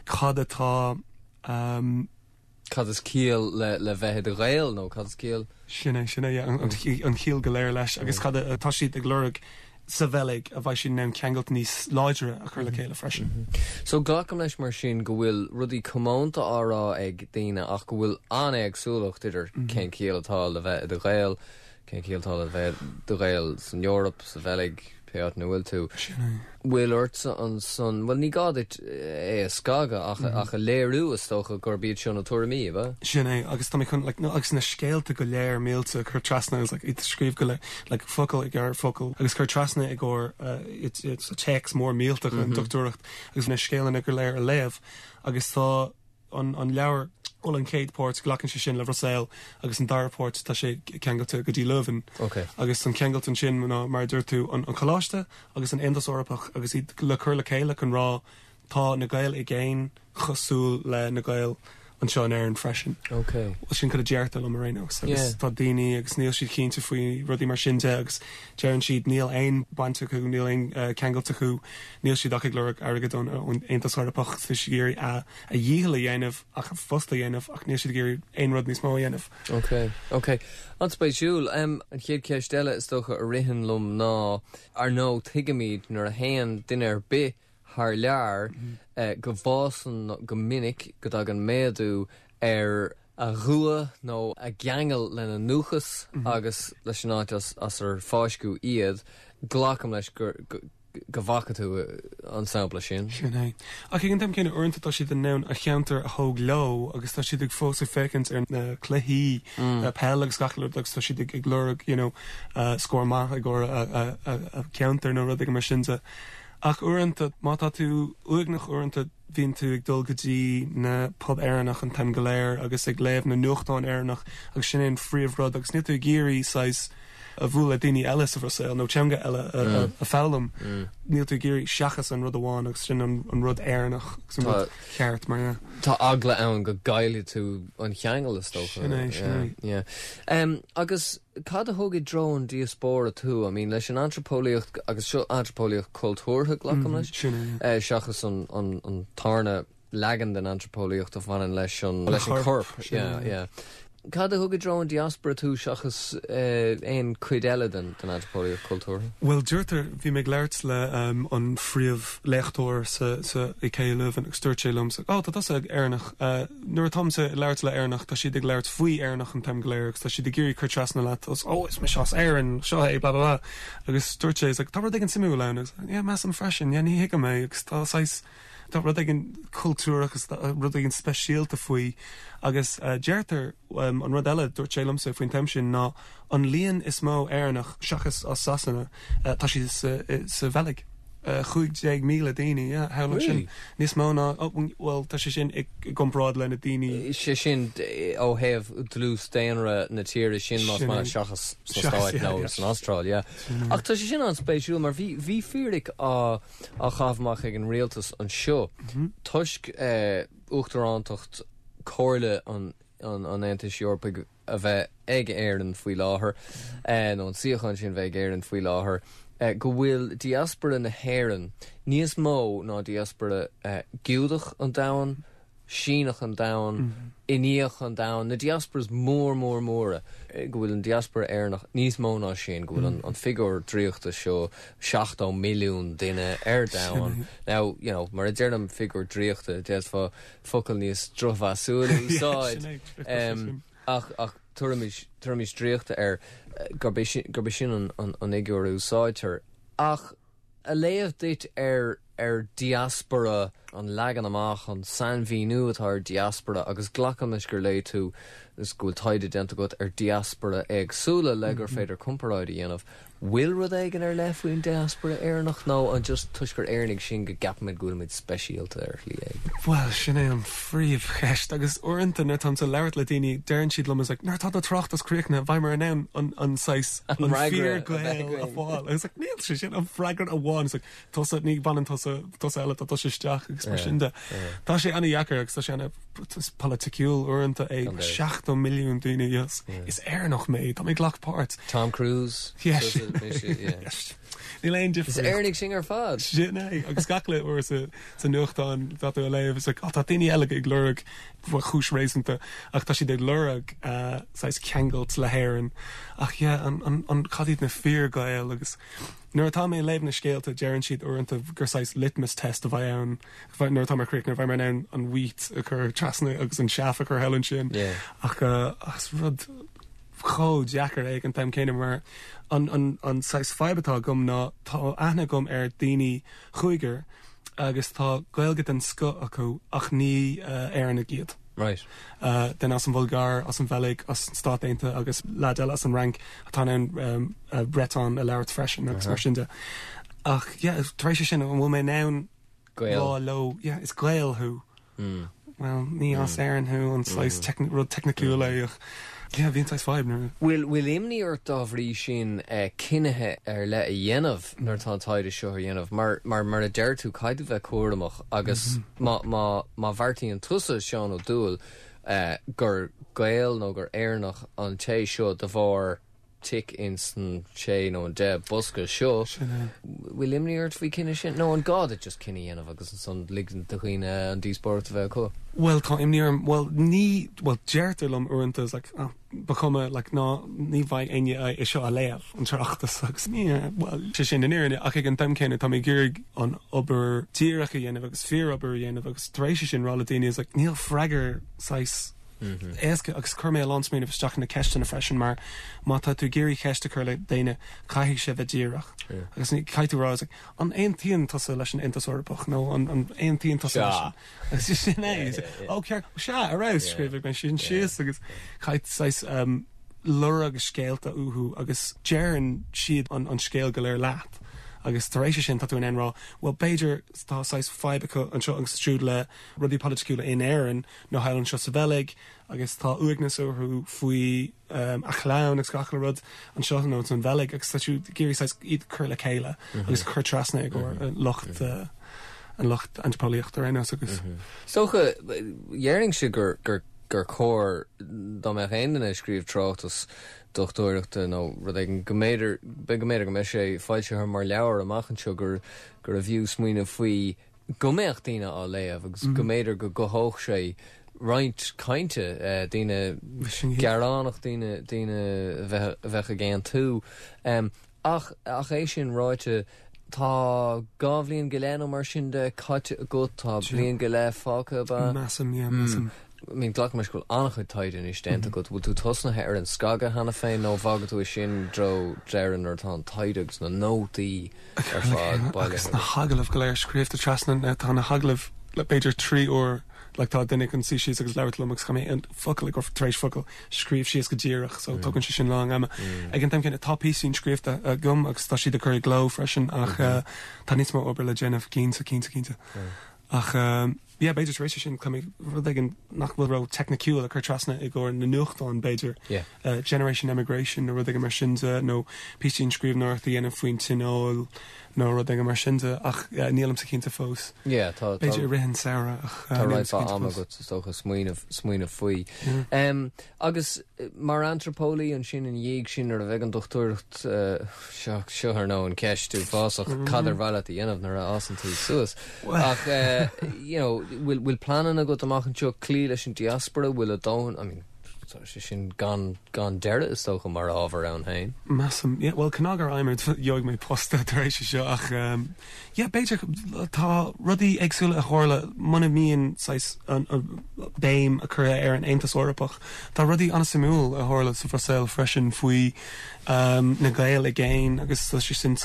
cad atá um, Cad is ciall le le bheith i do Ghael nó cad is ciall? Sin é sin é yeah, an, an, an chiall go léir leis agus cad atá siad ag lorg sa Bheilg a bheidh siad in ann ceangailt níos láidre a chur le chéile freisin. So glacaim leis mar sin go bhfuil rudaí comónta á rá ag daoine ach go bhfuil an-éagsúlacht idir cén ciall atá le bheith i do Ghael, cén ciall atá le bheith i do Ghael san Eoraip, sa Bheilg, pé áit ina bhfuil tú. Bhfuil ortsa ansan, well ní gá duit é a scagadh ach, ach a léiriú is dócha gurb iad seo na tuairimí, ba? Sin é agus tá mé chun like, no, agus na scéalta go léir mílte chur trasna agus like, iad scríobh go le like, focal ag ar focal agus chur trasna ag gcóir uh, it's, it's a text mór mílte an dochtúireacht agus na scéalana go léir a léamh agus tá an, an leabhar ó an chéad pháirt glacann sé sin le Brussels agus an dara páirt tá sé ceangailte go dtí Leuven. Okay. agus an ceangailt ansin ná mar a dúirt tú an, an choláiste agus an Aontas Eorpach agus iad le cur le chéile chun rá tá na Gaeil i gcéin cosúil le na Gaeil anseo in Éirinn freisin. Okay. Well, sin cad a deirtear liom ar aon nós agus Yeah. tá daoine agus níl siad cinnte faoi rudaí mar sin de agus deireann siad níl aon baint acu níl aon uh, ceangailt acu níl siad ach ag lorg airgead ón ón Aontas Eorpach tá siad ag iarraidh a a dhícheall a dhéanamh ach a phost a dhéanamh ach níl siad ag iarraidh aon rud níos mó a dhéanamh. Okay, okay. An-spéisiúil um, an chéad cheist eile is dócha a ritheann liom ná ar ndóigh tuigimid nuair a théann duine ar bith thar lear eh, go bhfásann go minic go dtagann méadú ar a dhua nó a gceangal lena ndúchas agus leis an áit as, as ar fáisceadh iad, glacaim leis gur go, go bhfaca tú eh, an sampla sin. Sin é. Ach ag an t-am céanna uaireanta tá siad in ann a cheantar a thóg leo agus tá siad ag fós ag féachaint ar na cluichí mm. peil agus gach rud agus tá siad ag, ag lorg you know, uh, scór maith ag gcóir a, a, a, a ceantar nó rud mar sin de. Ach uaireanta má tá tú uaigneach uaireanta bhíonn tú ag dul go dtí na pub Éireannach an t-am go léir agus ag léamh na nuachtán Éireannach agus sin é an phríomhrud agus níl tú ag iarraidh saghas a bhualadh le daoine eile sa Bhruiséil nó teanga eile a, a, a foghlaim. Níl tú ag iarraidh seachas an rud amháin agus sin an, an rud Éireannach agus an Tá- rud ceart mar yeah. Tá eagla ann go gcaillfidh tú an cheangal is dócha. Sin é, sin é. Yeah. Um, agus cad a thug i dtreo an diaspóra tú, I mean, leis an antraipeolaíocht agus seo antraipeolaíocht cultúrtha glacaim leis, Sin é. uh, seachas an, an, an tarna leagan den antraipeolaíocht a bhaineann leis an, leis an corp, corp. sin Yeah, é. yeah. Cad a thug i dtreo an diaspóra tú seachas uh, aon chuid eile den, den antraipeolaíocht cultúrtha? Well deirtear bhí mé ag labhairt le um, an phríomhléachtóir sa, sa i K U Leuven agus dúirt sé liom oh, tá tusa Éireannach uh, nuair atáimse ag labhairt le Éireannach tá siad ag labhairt faoi Éireannach an t-am go léir agus tá siad ag iarraidh cur trasna leat os oh, is mise as Éirinn seo é bla bla bla agus dúirt sé is like, tá rud éigin suimiúil ann agus yeah, measaim freisin yeah, ní thuigim é agus tá saghas tá rud éigin cultúrach agus tá rud éigin speisialta faoi agus uh, deirtear um, an rud eile dúirt sé liomsa faoin tem sin ná an líon is mó Éireannach seachas as Sasana uh, tá siad sa, sa Bheilg. Uh, Cúig déag míle daoine yeah, sin Really? níos mó ná oh, well tá sé sin i gcomparáid le na daoine sé sin eh, ó thaobh dlús daonra na tíre sin más Sin mar é. seachas sna Seachas, Stáit yeah, nó yeah. san Astráil, yeah. Ach tá sé sin an-spéisiúil mar bhí bhí fíric á á chaitheamh amach ag an rialtas anseo toisc eh, uachtarántacht Chomhairle an an an Aontais Eorpaigh a bheith ag Éirinn faoi láthair eh, nó an suíochán sin bheith ag Éirinn faoi láthair eh, go bhfuil diaspora na hÉireann níos mó ná diaspora eh, Giúdach an domhain, Síneach an domhain, Indiach an domhain, na diasporas mór mór móra eh, go bhfuil an diaspora Éireannach níos mó ná sin, go bhfuil an, an figiúr draíochta seo seachtó milliún duine ar domhan. Now, you know, mar a deirim figiúr draíochta, d'fhéadfá focal níos drochmheasúla a úsáid. Um, ach ach tabharfaimis tabharfaimis draíochta air gurb é sin an an fhigiúr a úsáidtear. Ach a léamh duit ar ar diaspora an leagan amach an sainmhíniú atá ar diaspora agus glacaimis gur léigh tú is go bhfuil taighde déanta agat ar diaspora éagsúla le gur féidir comparáid a dhéanamh. Bhfuil rud éigin ar leith faoin diaspora Éireannach nó an just toisc gur Éireannaigh sinn go gceapaimid go bhfuilimid speisialta ar shlí éigin. Well sin é an phríomhcheist agus uaireanta nuair atáim ag labhairt le daoine deireann siad liom is like, nuair atá do tráchtas críochnaithe beimid in ann an an saghas an fíor-Ghael a fháil. Agus like, níl sé sin an freagra amháin like, tusa ní bhaineann tusa tusa eile tá tusa isteach agus mar sin de. Tá sé an-deacair agus tá sé ana polaitiúil uaireanta é seachtó milliún daoine yes. Is Éireannach mé tá mé ghlac páirt. Tom Cruise Yes. Níl aon Is Éireannaigh sinn ar fad. Sin é agus gach le uair sa sa nuachtán tá tú a léamh is like, oh, tá daoine eile ag lorg chúis réasúnta ach tá siad ag lorg uh, saghas ceangailt le hÉirinn ach yeah, an, an, an cad iad na fíor-Ghaeil agus nuair atá mé léamh na scéalta deireann siad uaireanta gur saghas litmus test a bheidh ann nuair atá mar críoch nuair bheidh mé in ann an wheat a chur trasna agus an chaff a chur thall ansin Yeah. ach uh, ach rud chomh deacair ag an t-am céanna mar an, an, an saghas fadhb atá agam ná tá aithne agam ar daoine chúigear agus tá Gaeilge den scoth acu ach ní uh, Éireannaigh iad. Right. Uh, den as an Bhulgáir, as an Bheilg, as an Stát Aontaithe agus leaid eile as an Fhrainc atá an um, uh, Breton a labhairt freisin agus mar sin de. Ach yeah, tar éis sin an bhfuil mé in ann Gael. rá leo, yeah, is Gael thú. Mm. Well, ní as Éirinn thú an saghas mm. rud teicniúil é ach yeah, bhíonn saghas fadhb nuair. Bhfuil bhfuil imní ort dá bhrí sin eh, cinntí ar leith a dhéanamh nuair atá an taighde seo a dhéanamh mar mar mar a deir tú caithfidh bheith cúramach agus má má má bheartaíonn tusa Seán Ó Dúill eh, gur Gael nó gur Éireannach an té seo de bharr tic in san sé nó an deich bosca seo bhfuil imní ort faoi cinneadh sin nó an gá duit just cinneadh a dhéanamh agus ansan ligean do dhaoine an díospóireacht a bheith acu. Well tá imní orm well ní well deirtear liom uaireanta is like oh, ba chuma like ná ní bheidh éinne é seo a léamh an tráchtas agus ní well sé sin an fhírinne ach ag an t-am céanna tá mé ag iarraidh an obair díreach a dhéanamh agus fíorobair a dhéanamh agus tar éis sin rá le daoine is like níl freagra saghas éasca agus chuir mé a lán smaoineamh isteach na ceisteanna freisin mar má tá tú ag iarraidh ceist a chur le daoine caithfidh sé bheith díreach agus ní caithfidh tú rá is like, an aontaíonn tusa leis an Aontas Eorpach nó an an aontaíonn tusa leis an agus sin é ó ceart sea a raibh scríobh mé sin síos agus caithfidh saghas um, lorg scéalta uathu agus deireann siad an, an scéal go léir leat. agus tar éis sin tá tú in ann rá, well b'fhéidir tá saghas fadhb acu anseo agus siúd le rudaí polaitiúla in Éirinn nó thall anseo sa Bheilg agus tá uaigneas orthu faoi um, a chlann agus gach rud anseo nó san Bheilg agus tá tú ag iarraidh saghas iad cur le chéile agus cur trasna ag mm lucht uh, an lucht antraipeolaíochta ar aon nós agus Socha dhéarfainn sé gur gur gur chóir dá mbeadh aon duine scríobh tráchtas dochtúireachta nó rud éigin go mb'fhéidir be go mb'fhéidir go mbeidh sé foilsithe mar leabhar amach anseo gur gur a bhfiú smaoineamh faoi go mbeadh daoine á léamh agus go mb'fhéidir go gcothódh sé roinnt cainte eh, daoine gearánach daoine daoine a bheith a bheith ag aontú. Um, ach ach é sin ráite tá dhá bhliain go leith nó mar sin de caite agat tá bliain go leith fágtha ba. Measaim, yeah, measaim. I mean glacaim go bhfuil an-chuid taighde anois déanta agat bhfuil tú tosnaithe ar an scagadh cheana féin nó fágfaidh tú é sin dro deireadh nuair atá an taighde agus na nótaí ar fad agus na hagallaimh go léir scríofa trasna na tá na hagallaimh le b'fhéidir trí uair like tá duine chun suí síos agus labhairt liom agus tá mé an focal ag tar éis focal scríobh síos go díreach so tugann sé sin lán ama. Ag an t-am céanna tá píosaí scríofa agam agus tá siad ag cur i gcló freisin ach uh, tá níos mó obair le déanamh cinnte cinnte cinnte. Ach um, yeah, b'fhéidir tar éis sin tá mé rud éigin nach bhfuil ró teicniúil a chur trasna i gcomhair na nuachtán b'fhéidir. Yeah. Uh, Generation Emigration nó rud éigin mar sin de nó píosaí scríbhneoireachta a dhéanamh faoin tionól nó rud éigin mar sin de ach uh, nílimse cinnte fós. Yeah, tá B'fhéidir i rith an samhradh ach uh, Tá nílimse roinnt cinnte ama fós. agat is dócha smaoineamh smaoineamh faoi. Um, agus eh, mar antraipeolaí ansin ina dhiaidh sin ar a bheith an dochtúireacht uh, seo seo ar nó an ceist uafásach cad ar mhaith leat a dhéanamh nuair a fhásann tú suas. Ach uh, you know, bhfuil bhfuil pleananna agat amach anseo cloí leis an diaspora bhfuil a dóthain I mean, Tá sé sin gan gan deireadh is dócha mar ábhar ann féin. Measaim yeah, well cnagar aimir gheobhaidh mé post tar éis seo ach um, yeah, b'fhéidir tá rudaí éagsúla a tharla muna mbíonn an, an béim a chur ar an Aontas Eorpach. Tá rudaí an-suimiúil a tharla sa Bhruiséil freisin faoi um, na Gaeil i gcéin agus tá sé sin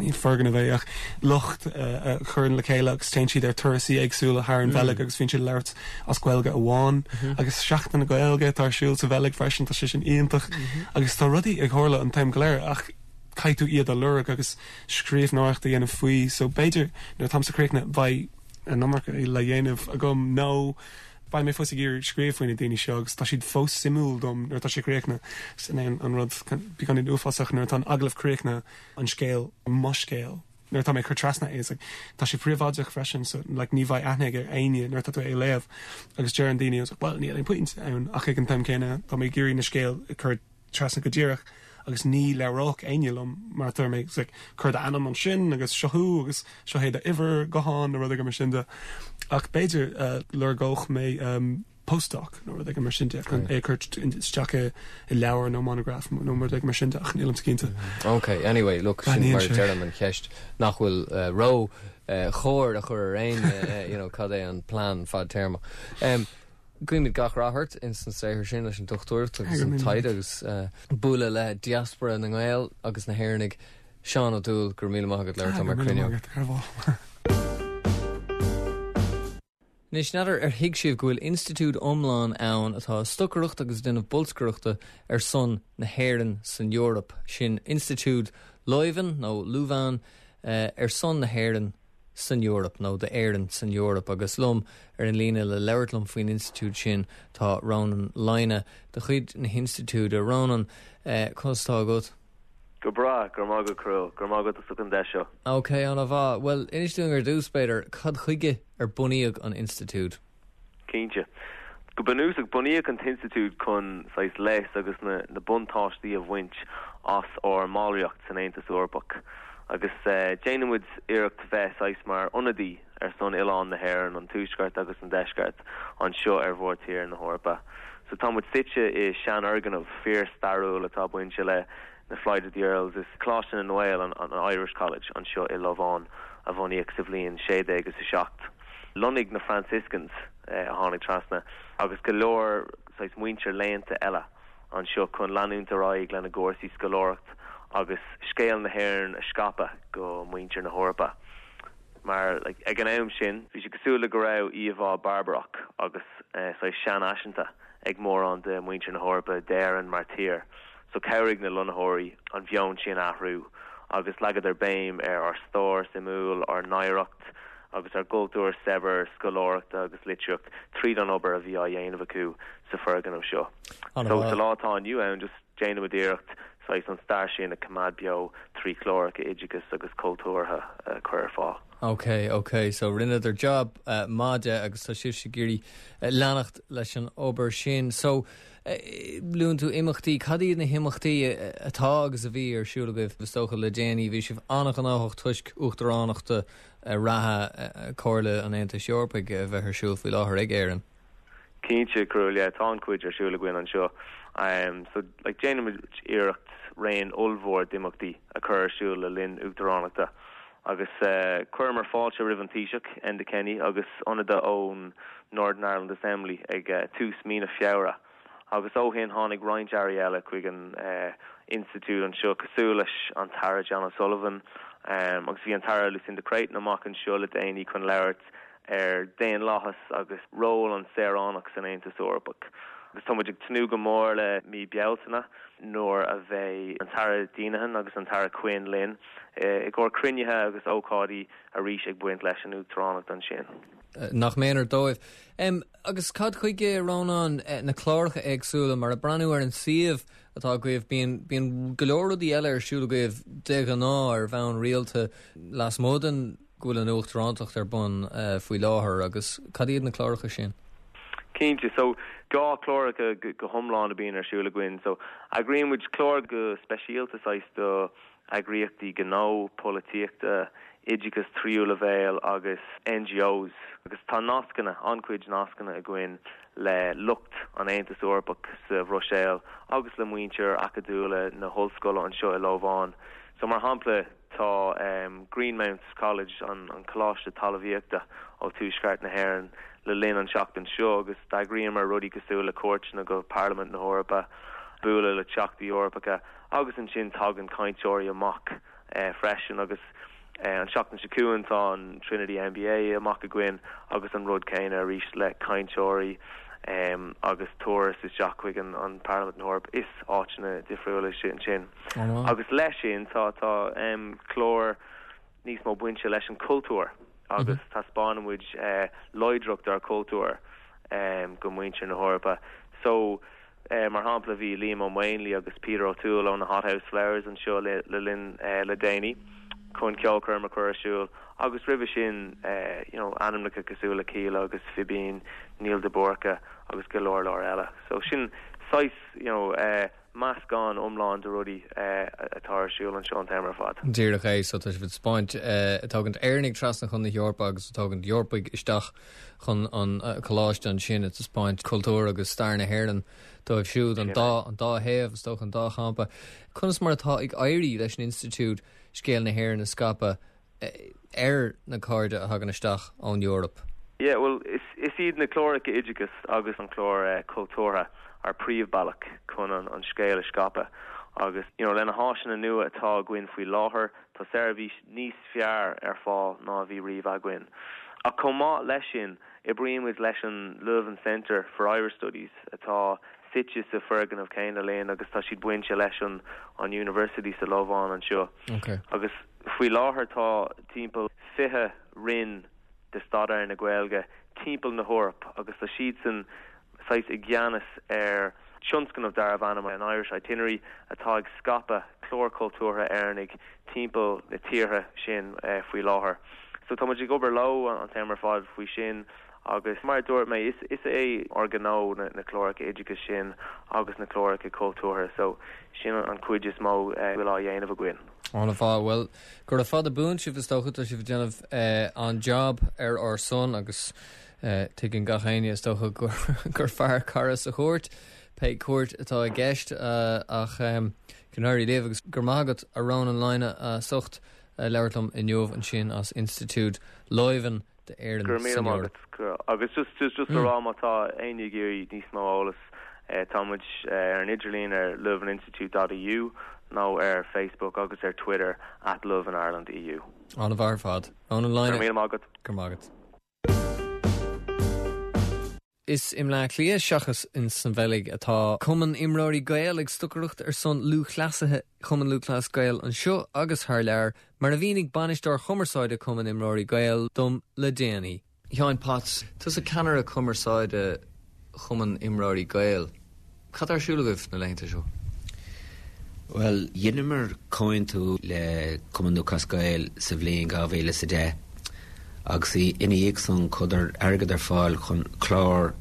ní foirgneamh é ach lucht uh, a chuireann le chéile agus téann siad ar turasaí éagsúla thar an mm. Bheilg agus bíonn siad labhairt as Gaeilge amháin mm -hmm. agus Seachtain na Gaeilge tá ar siúl sa Bheilg freisin tá sé sin iontach mm -hmm. agus tá rudaí ag tarlú an t-am go léir ach caithfidh tú iad a lorg agus scríbhneoireacht a dhéanamh faoi so b'fhéidir nuair atáimse críochnaithe beidh an iomarca le dhéanamh agam nó beidh mé fós ag iarraidh scríobh faoi na daoine seo agus tá siad fós suimiúil dom nuair atá sé críochnaithe sin é an rud beagáinín uafásach nuair atá an agallamh críochnaithe an scéal mo scéal nuair atá mé chur trasna é like, tá sé príobháideach freisin so like, ní bheidh aithne ar éinne nuair atá tú é léamh agus deireann daoine like, well níl aon point ann ach ag an t-am céanna tá mé ag iarraidh na scéal chur trasna go díreach agus ní labhródh éinne liom mar tá mé like, cuir d'ainm ansin agus seo thú agus seo é d'uimhir gutháin nó rud mar sin de ach b'fhéidir uh, lorgóidh mé um, postdoc nó rud mar sin de chun é chur isteach i leabhar nó monograph nó mar mar sin de ach nílim cinnte. Ok, anyway, look sin mar deirim an cheist nach bhfuil uh, ró uh, chóir a chur ar aon uh, you know, cad é an plean fadtéarma. Um, Guímid gach rath ort in san saothar sin leis an dochtúireacht agus an taighde agus uh, bualadh le diaspora na nGael agus na hÉireannaigh Seán Ó Dúill gur míle maith agat le mar cruinne. Anois n'fheadar ar thuig sibh go bhfuil institiúid iomlán ann atá stocaireacht agus déanamh bolscaireachta ar son na hÉireann san Eoraip sin institiúid Leuven nó Louvain uh, ar son na hÉireann san Eoraip nó d'Éirinn san Eoraip agus liom ar an líne le labhairt liom faoin institiúid sin tá Rónán Lynagh de chuid na hinstitiúide Rónán uh, conas tá agat. Go breá gur má go cru gur má go an de seo. Ok an-mhaith well inis dúinn ar dtús b'fhéidir cad chuige ar bunaíodh an institiúid. Cinnte. Go bunúsach bunaíodh an t-institiúid chun saghas leas agus na, na buntáistí a bhaint as ár mballraíocht san Aontas Eorpach. Agus uh, déanaimid iarracht bheith saghas mar ionadaí ar son oileán na hÉireann an tuaisceart agus an deisceart anseo ar mhórthír na hEorpa. So tá muid suite i seanfhoirgneamh fíorstairiúil atá bainte le na Flight of the Earls is Coláiste na nGael an, an Irish College anseo i Lováin a bunaíodh sa bhliain sé déag agus a seacht. Lonnaigh na Franciscans eh, a tháinig trasna agus go leor saghas muintir léannta eile anseo chun leanúint ar aghaidh lena gcúrsaí scoláireacht agus scéal na hÉireann a scaipeadh go muintir na hEorpa. Mar like, ag an am sin bhí sé cosúil le go raibh íomhá barbarach agus eh, saghas seanfhaiseanta ag mórán de muintir na hEorpa d'Éirinn mar tír. So chabhraigh na lonnaitheoirí an meon sin athrú agus leagadar béim ar ár stair suimiúil ár n-oidhreacht agus ar gcultúr saibhir scoláireachta agus litríocht tríd an obair a bhí á dhéanamh acu sa foirgneamh seo. So sa lá atá inniu ann just déanaimid iarracht saghas an stair sin a choimeád beo trí chláracha oideachais agus cultúrtha uh, chur ar fáil. Ok, ok, so rinneadar job uh, maith agus tá sibh ag iarraidh uh, leanacht leis an obair sin. So uh, luann tú imeachtaí cad iad na himeachtaí atá agus a bhí ar siúl agaibh is dócha le déanaí bhí sibh an-ghnóthach toisc uachtaránacht reatha uh, Chomhairle an Aontais Eorpaigh a bheith ar siúl faoi láthair ag Éirinn. Cinnte cruúil tá an-chuid ar siúl againn anseo. Um, so like, déanaimid iarracht raon ollmhór d'imeachtaí a chur ar siúl le linn uachtaránachta. agus uh, chuireamar fáilte roimh an Taoiseach Enda Kenny agus ionadaithe ón Northern Ireland Assembly ag uh, tús mí na Feabhra. Agus ó shin tháinig roinnt airí eile chuig an uh, institiúid anseo cosúil leis an tAire John O'Sullivan um, agus bhí an tAire Lucinda Creighton amach anseo le déanaí chun labhairt ar daonlathas agus ról an saoránach san Aontas Eorpach. Agus tá ag tnúth go mór le mí Bealtaine nuair a bheidh an tAire Deenihan agus an tAire Quinn linn i gcomhair cruinnithe agus ócáidí arís ag baint leis an uachtaránacht ansin. Nach méanar dóibh. Um, agus cad chuige Rónán na cláracha éagsúla mar ag breathnú ar an suíomh atá agaibh bíonn bíonn go leor rudaí eile ar siúl agaibh de ghnáth ar bhonn rialta lasmuigh den go bhfuil an uachtarántacht ar bun uh, faoi láthair agus cad iad na cláracha sin. Cinnte so dhá chláracha go, go hiomlán a bhíonn ar siúl againn so eagraíonn muid clár go speisialta saghas do eagraíochtaí gnó polaitíochta oideachas tríú leibhéal agus N G Os agus tá nascanna, an-chuid nascanna againn le lucht an Aontas Eorpach sa Bhruiséil agus le muintir acadúla na hollscoile anseo i Lóbháin. So mar shampla tá um, Greenmount College, an, an coláiste talmhaíochta ó Tuaisceart na hÉireann, le linn an seachtain seo agus d'eagraíomar rudaí cosúil le cuairteanna go Parlaimint na hEorpa, bualadh le teachtaí Eorpacha agus ansin tagann cainteoirí amach eh, freisin agus eh, an seachtain seo chugainn tá an Trinity M B A amach againn agus an rud céanna arís le cainteoirí um, agus turas isteach chuig an, an Parlaimint na hEorpa is áiteanna difriúla sin sin. Oh, Agus leis sin tá tá um, clár níos mó bainte leis an cultúr agus mm -hmm. taispeánann muid uh, láidreacht ár cultúr um, go muintir na hEorpa. So uh, mar shampla bhí Liam Ó Maonlaí agus Peter O'Toole ó na Hothouse Flowers anseo le, le linn uh, le déanaí chun ceolchoirm a chur ar siúl agus roimhe sin uh, you know, ainmneacha cosúil le Kíla agus Fibín, Neil de Búrca agus go leor leor eile. So sin saghas you know, uh, meascán iomlán de rudaí uh, atá ar siúl anseo an t-am ar fad. Díreach é, so tá sibh ag taispeáint ag tógaint Éireannaigh trasna chun na hEorpa agus ag tógaint Eorpaigh isteach chun an coláiste ansin ag taispeáint cultúr agus stair na hÉireann dóibh siúd, an dá an dá thaobh is dócha, an dá champa. Conas mar atá ag éirí leis an institiúid scéal na hÉireann a scaipeadh ar na cairde a thagann isteach ón Eoraip? Yeah, well is, is iad na cláracha oideachais agus an clár uh, cultúrtha ár bpríomhbhealach chun an, an scéal a scaipeadh. Agus you know, lena háiseanna nua atá againn faoi láthair tá seirbhís níos fearr ar fáil ná bhí riamh againn. Ach chomh maith leis sin oibrímid leis an Leuven Center for Irish Studies atá suite sa foirgneamh céanna linn agus tá siad bainte leis an an University sa Lóbháin anseo. Okay. Agus faoi láthair tá timpeall fiche roinn de staidéar na Gaeilge timpeall na hEorpa agus tá siad san saghas i gceannas ar tionscnamh darbh ainm an Irish Itinerary atá ag scaipeadh clár cultúrtha Éireannaigh timpeall na tíortha sin uh, faoi láthair. So tá ag obair leo an t-am ar fad faoi sin agus mar dúirt mé is, is é ár ngnó na, na cláracha oideachais sin agus na cláracha cultúrtha, so sin an chuid is mó uh, bhfuil á dhéanamh againn. An-mhaith, well gura fada buan sibh, is dócha tá sibh déanamh uh, an job ar ár son agus uh, tuigeann gach éinne is dócha gur, gur fearr cara sa chúirt pé cúirt atá i gceist uh, ach um, go n-éirí libh agus gur mágad a rán an leine a socht uh, labhairt liom inniu ansin as Institiúid Leuven d'Éirinn. Gur mí agus just just just mm. rá má tá éinne ag iarraidh níos mó eolas eh, tá muid ar an idirlíon ar leuveninstitute dot E U nó ar Facebook agus ar Twitter at Leuven Ireland E U. An-mhaith ar fad an line. Mí agat. Gur mágad. Is i mBleá Cliath seachas in san Bheilg atá Cumann Imreoirí Gael ag stocaireacht ar son lúthchleasaithe Chumann Lúthchleas Gael anseo agus thar lear, mar a mhínigh bainisteoir cumarsáide Cumann Imreoirí Gael dom le déanaí. Sheáin Potts, tusa ceannaire cumarsáide Chumann Imreoirí Gael. Cad ar siúl agaibh na laethanta seo? Well, dheineamar comhaontú le Cumann Lúthchleas Gael sa bhliain dhá mhíle sa deich agus í ina dhiaidh san chuireadar airgead ar fáil chun clár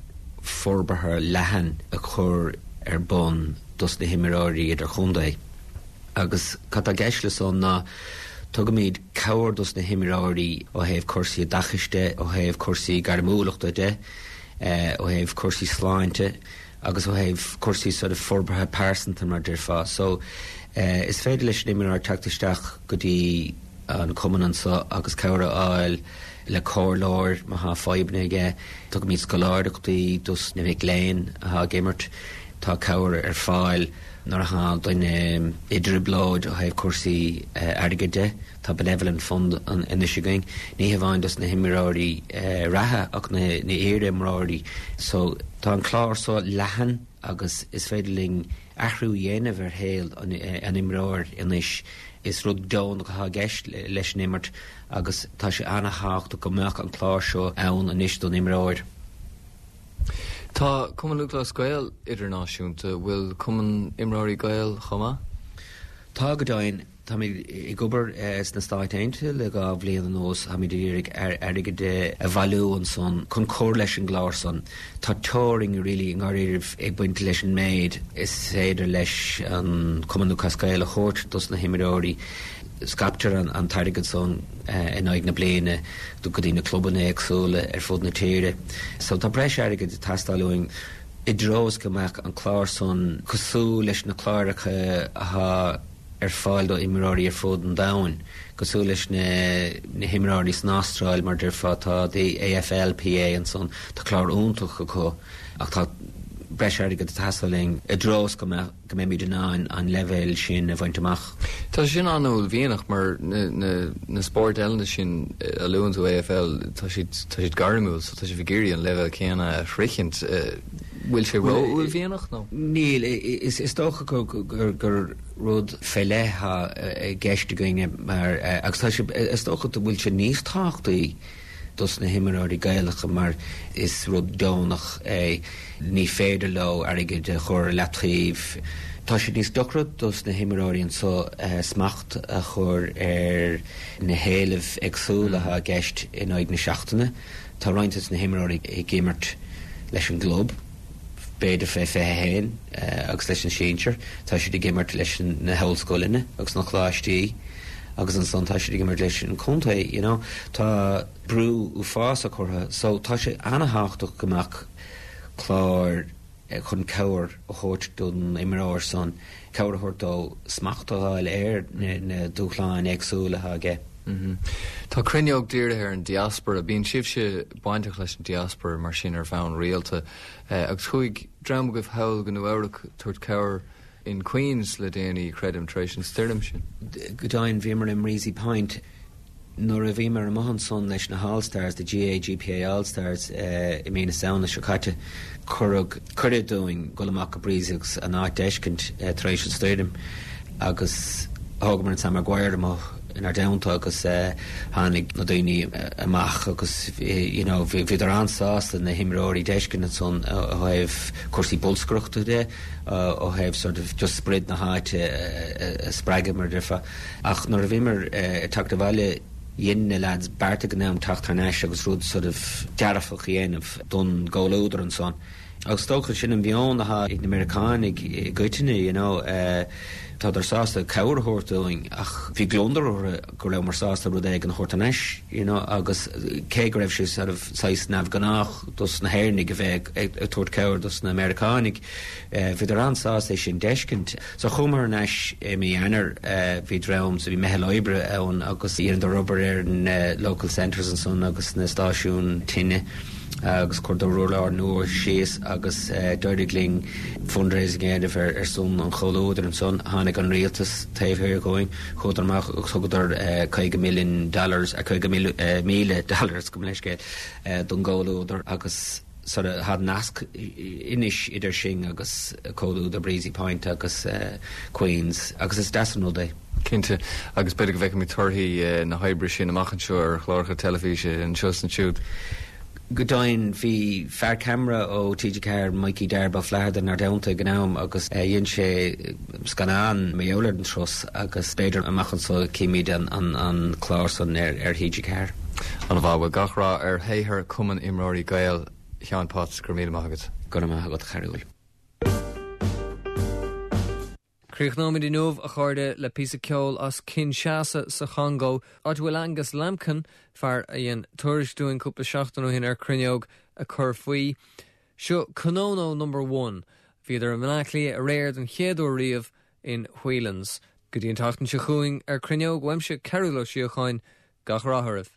forbartha leathan a chur ar bun dos na himreoirí idirchontae. Agus cad tá i gceist le san ná tugaimid cabhair dos na himreoirí ó thaobh cúrsaí oideachais de, ó thaobh cúrsaí gairmiúlachta de, eh, ó thaobh cúrsaí sláinte agus ó thaobh cúrsaí sort of forbartha pearsanta mar déarfá. So eh, is féidir leis an imreoir teacht isteach go dtí an cumann anseo agus cabhair a fháil le comhairleoir má tá fadhbanna aige, tugaimid scoláireachtaí dos na mic léinn atá ag imirt, tá cabhair ar fáil nuair atá duine i dtrioblóid ó thaobh cúrsaí airgid de, tá benevolent fund anois againn, ní hamháin dos na himreoirí reatha ach na hiar-imreoirí. So tá an clár so leathan agus is féidir linn athrú a dhéanamh ar shaol an imreoir anois. Is rud deonach atá i gceist leis an imirt agus tá sé an-tábhachtach go mbeadh an clár seo ann anois don imreoir. Tá Cumann Lúthchleas Gael idirnáisiúnta, bhfuil Cumann Imreoirí Gael chomh maith? Tá go deimhin. Táimid ag obair sna Stáit Aontaithe le dhá bhliain anuas táimid ag iarraidh airgead a bhailiú ansan chun cur leis an gclár san. Tá teorainn really i ndáiríribh ag baint leis an méid is féidir leis an Cumann Lúthchleas Gael a thabhairt dos na himreoirí. Scaiptear an an t-airgead san in aghaidh na bliana go dtí na clubanna éagsúla ar fud na tíre. So tá breis airgid ag teastáil uainn i dtreo is go mbeadh an clár san cosúil leis na cláracha atá ar fáil do imreoirí ar fud an domhain, cosúil leis na na himreoirí san Astráil mar déarfá tá the AFLPA ansan tá clár iontach acu ach tá breis airgid ag teastáil uainn i dtreo is go mbeadh go mbeimid in ann an leibhéal sin a bhaint amach. Tá sin an-uaillmhianach mar na na na spóirt eile sin a luann tú AFL tá siad tá siad gairmiúil so tá sibh ag iarraidh an leibhéal céanna a shroichint. Bhfuil sé ró-uaillmhianach nó? Níl, is is dócha gur gur gur rud fé leith i gceist againne mar agus tá sé is dócha go bhfuil sé níos tábhachtaí dos na himreoirí Gaelacha mar is rud deonach é ní féidir leo airgead a chur leataobh. Tá sé níos deacra dos na himreoirí anseo smacht a chur ar na héilimh éagsúla atá i gceist in aghaidh na seachtaine. Tá roinnt de na himreoirí ag imirt leis an gclub. b'fhéidir fé fiche a haon agus leis an sinsir, tá siad ag imirt leis na hollscoileanna agus na coláistí agus ansan tá siad ag imirt leis an contae, you know. Tá brú uafásach orthu, so tá sé an-tábhachtach go mbeadh clár chun cabhair a thabhairt don imreoir san, cabhair a thabhairt dó smacht a fháil ar na dúshláin éagsúla atá aige. Tá Cruinneog dírithe ar an diaspora, bíonn sibhse bainteach leis an diaspora mar sin ar bhonn rialta agus chuaigh dream agaibh thall go Nua Eabhrac tabhairt cabhair in Queens le déanaí creidim tar éis an stoirm sin. Go deimhin bhíomar i mBreezy Point nuair a bhíomar amuigh ansan leis na hAll Stars, the GAA GPA All-Stars i mí na Samhna seo caite, cuireadh cuireadh dúinn dul amach go Breezy agus an áit a fheiscint tar éis an stoirm agus thógamar an Sam Maguire amuigh inár dteannta agus tháinig na daoine amach agus you know bhíodar an-sásta na himreoirí a fheiscint ansan ó thaobh cúrsaí bolscaireachta de ó thaobh sort of just sprid na háite a spreagadh mar déarfá. Ach nuair a bhíomar ag teacht abhaile dhein na lads beart ag an am teacht thar n-ais agus rud sort of dearfach a dhéanamh don gcomhluadar ansan. Agus dócha sin an meon atá ag na Meiriceánaigh i gcoitinne you know uh, Tádar sásta cabhair a thabhairt dúinn ach bhí gliondar orthu go rabhamar sásta rud éigin a thabhairt anois you know, agus cé go raibh sé sort of saghas neamhghnách dos na hÉireannaigh a bheith ag tabhairt cabhair dos na Meiriceánaigh uh, bhíodar an-sásta é sin a fheiscint. So chuamar anois i mí Eanáir uh, bhí dream so bhí meitheal oibre ann agus dheineadar obair ar na local centres ansan agus na stáisiún tine. agus chuireadar urlár nua síos agus uh, d'éirigh linn fundraising a dhéanamh ar ar son an chomhluadair ansan tháinig an rialtas taobh thiar dínn chuadar amach agus thugadar uh, caoga million dollars a caoga uh, míle dollars go leisce uh, don gcomhluadar agus sort of tá nasc anois idir sinn agus comhluadar Breezy Point agus uh, Queens agus is deas an rud é. Cinnte agus b'fhéidir go bhfeicfimid torthaí na hoibre sin amach anseo ar chláracha teilifíse anseo is ansiúd. Go deimhin bhí fear ceamara ó TG Ceathair Mikey Darba Flatharta inár dteannta ag an am agus dhein sé scannán mar gheall ar an turas agus b'fhéidir amach anseo cífimid an, an, an clár san ar, ar TG Ceathair. An-mhaith gach rath ar shaothar Cumann Imreoirí Gael Sheáin Potts go raibh míle maith agat. Go raibh maith agat a Chearbhaill. Críochnóimid inniu a chairde le píosa ceoil as Kinshasa sa Chongó, áit a bhfuil Angus Lambkin fear a dhein tuairisc dúinn cúpla seachtain ó shin ar Cruinneog ag cur faoi. Seo Konono number one, bhíodar i mBaile Átha Cliath aréir den chéad uair riamh in Whelan's. Go dtí an tseachtain seo chugainn ar Cruinneog uaimse Cearbhall Ó Síocháin gach rath oraibh.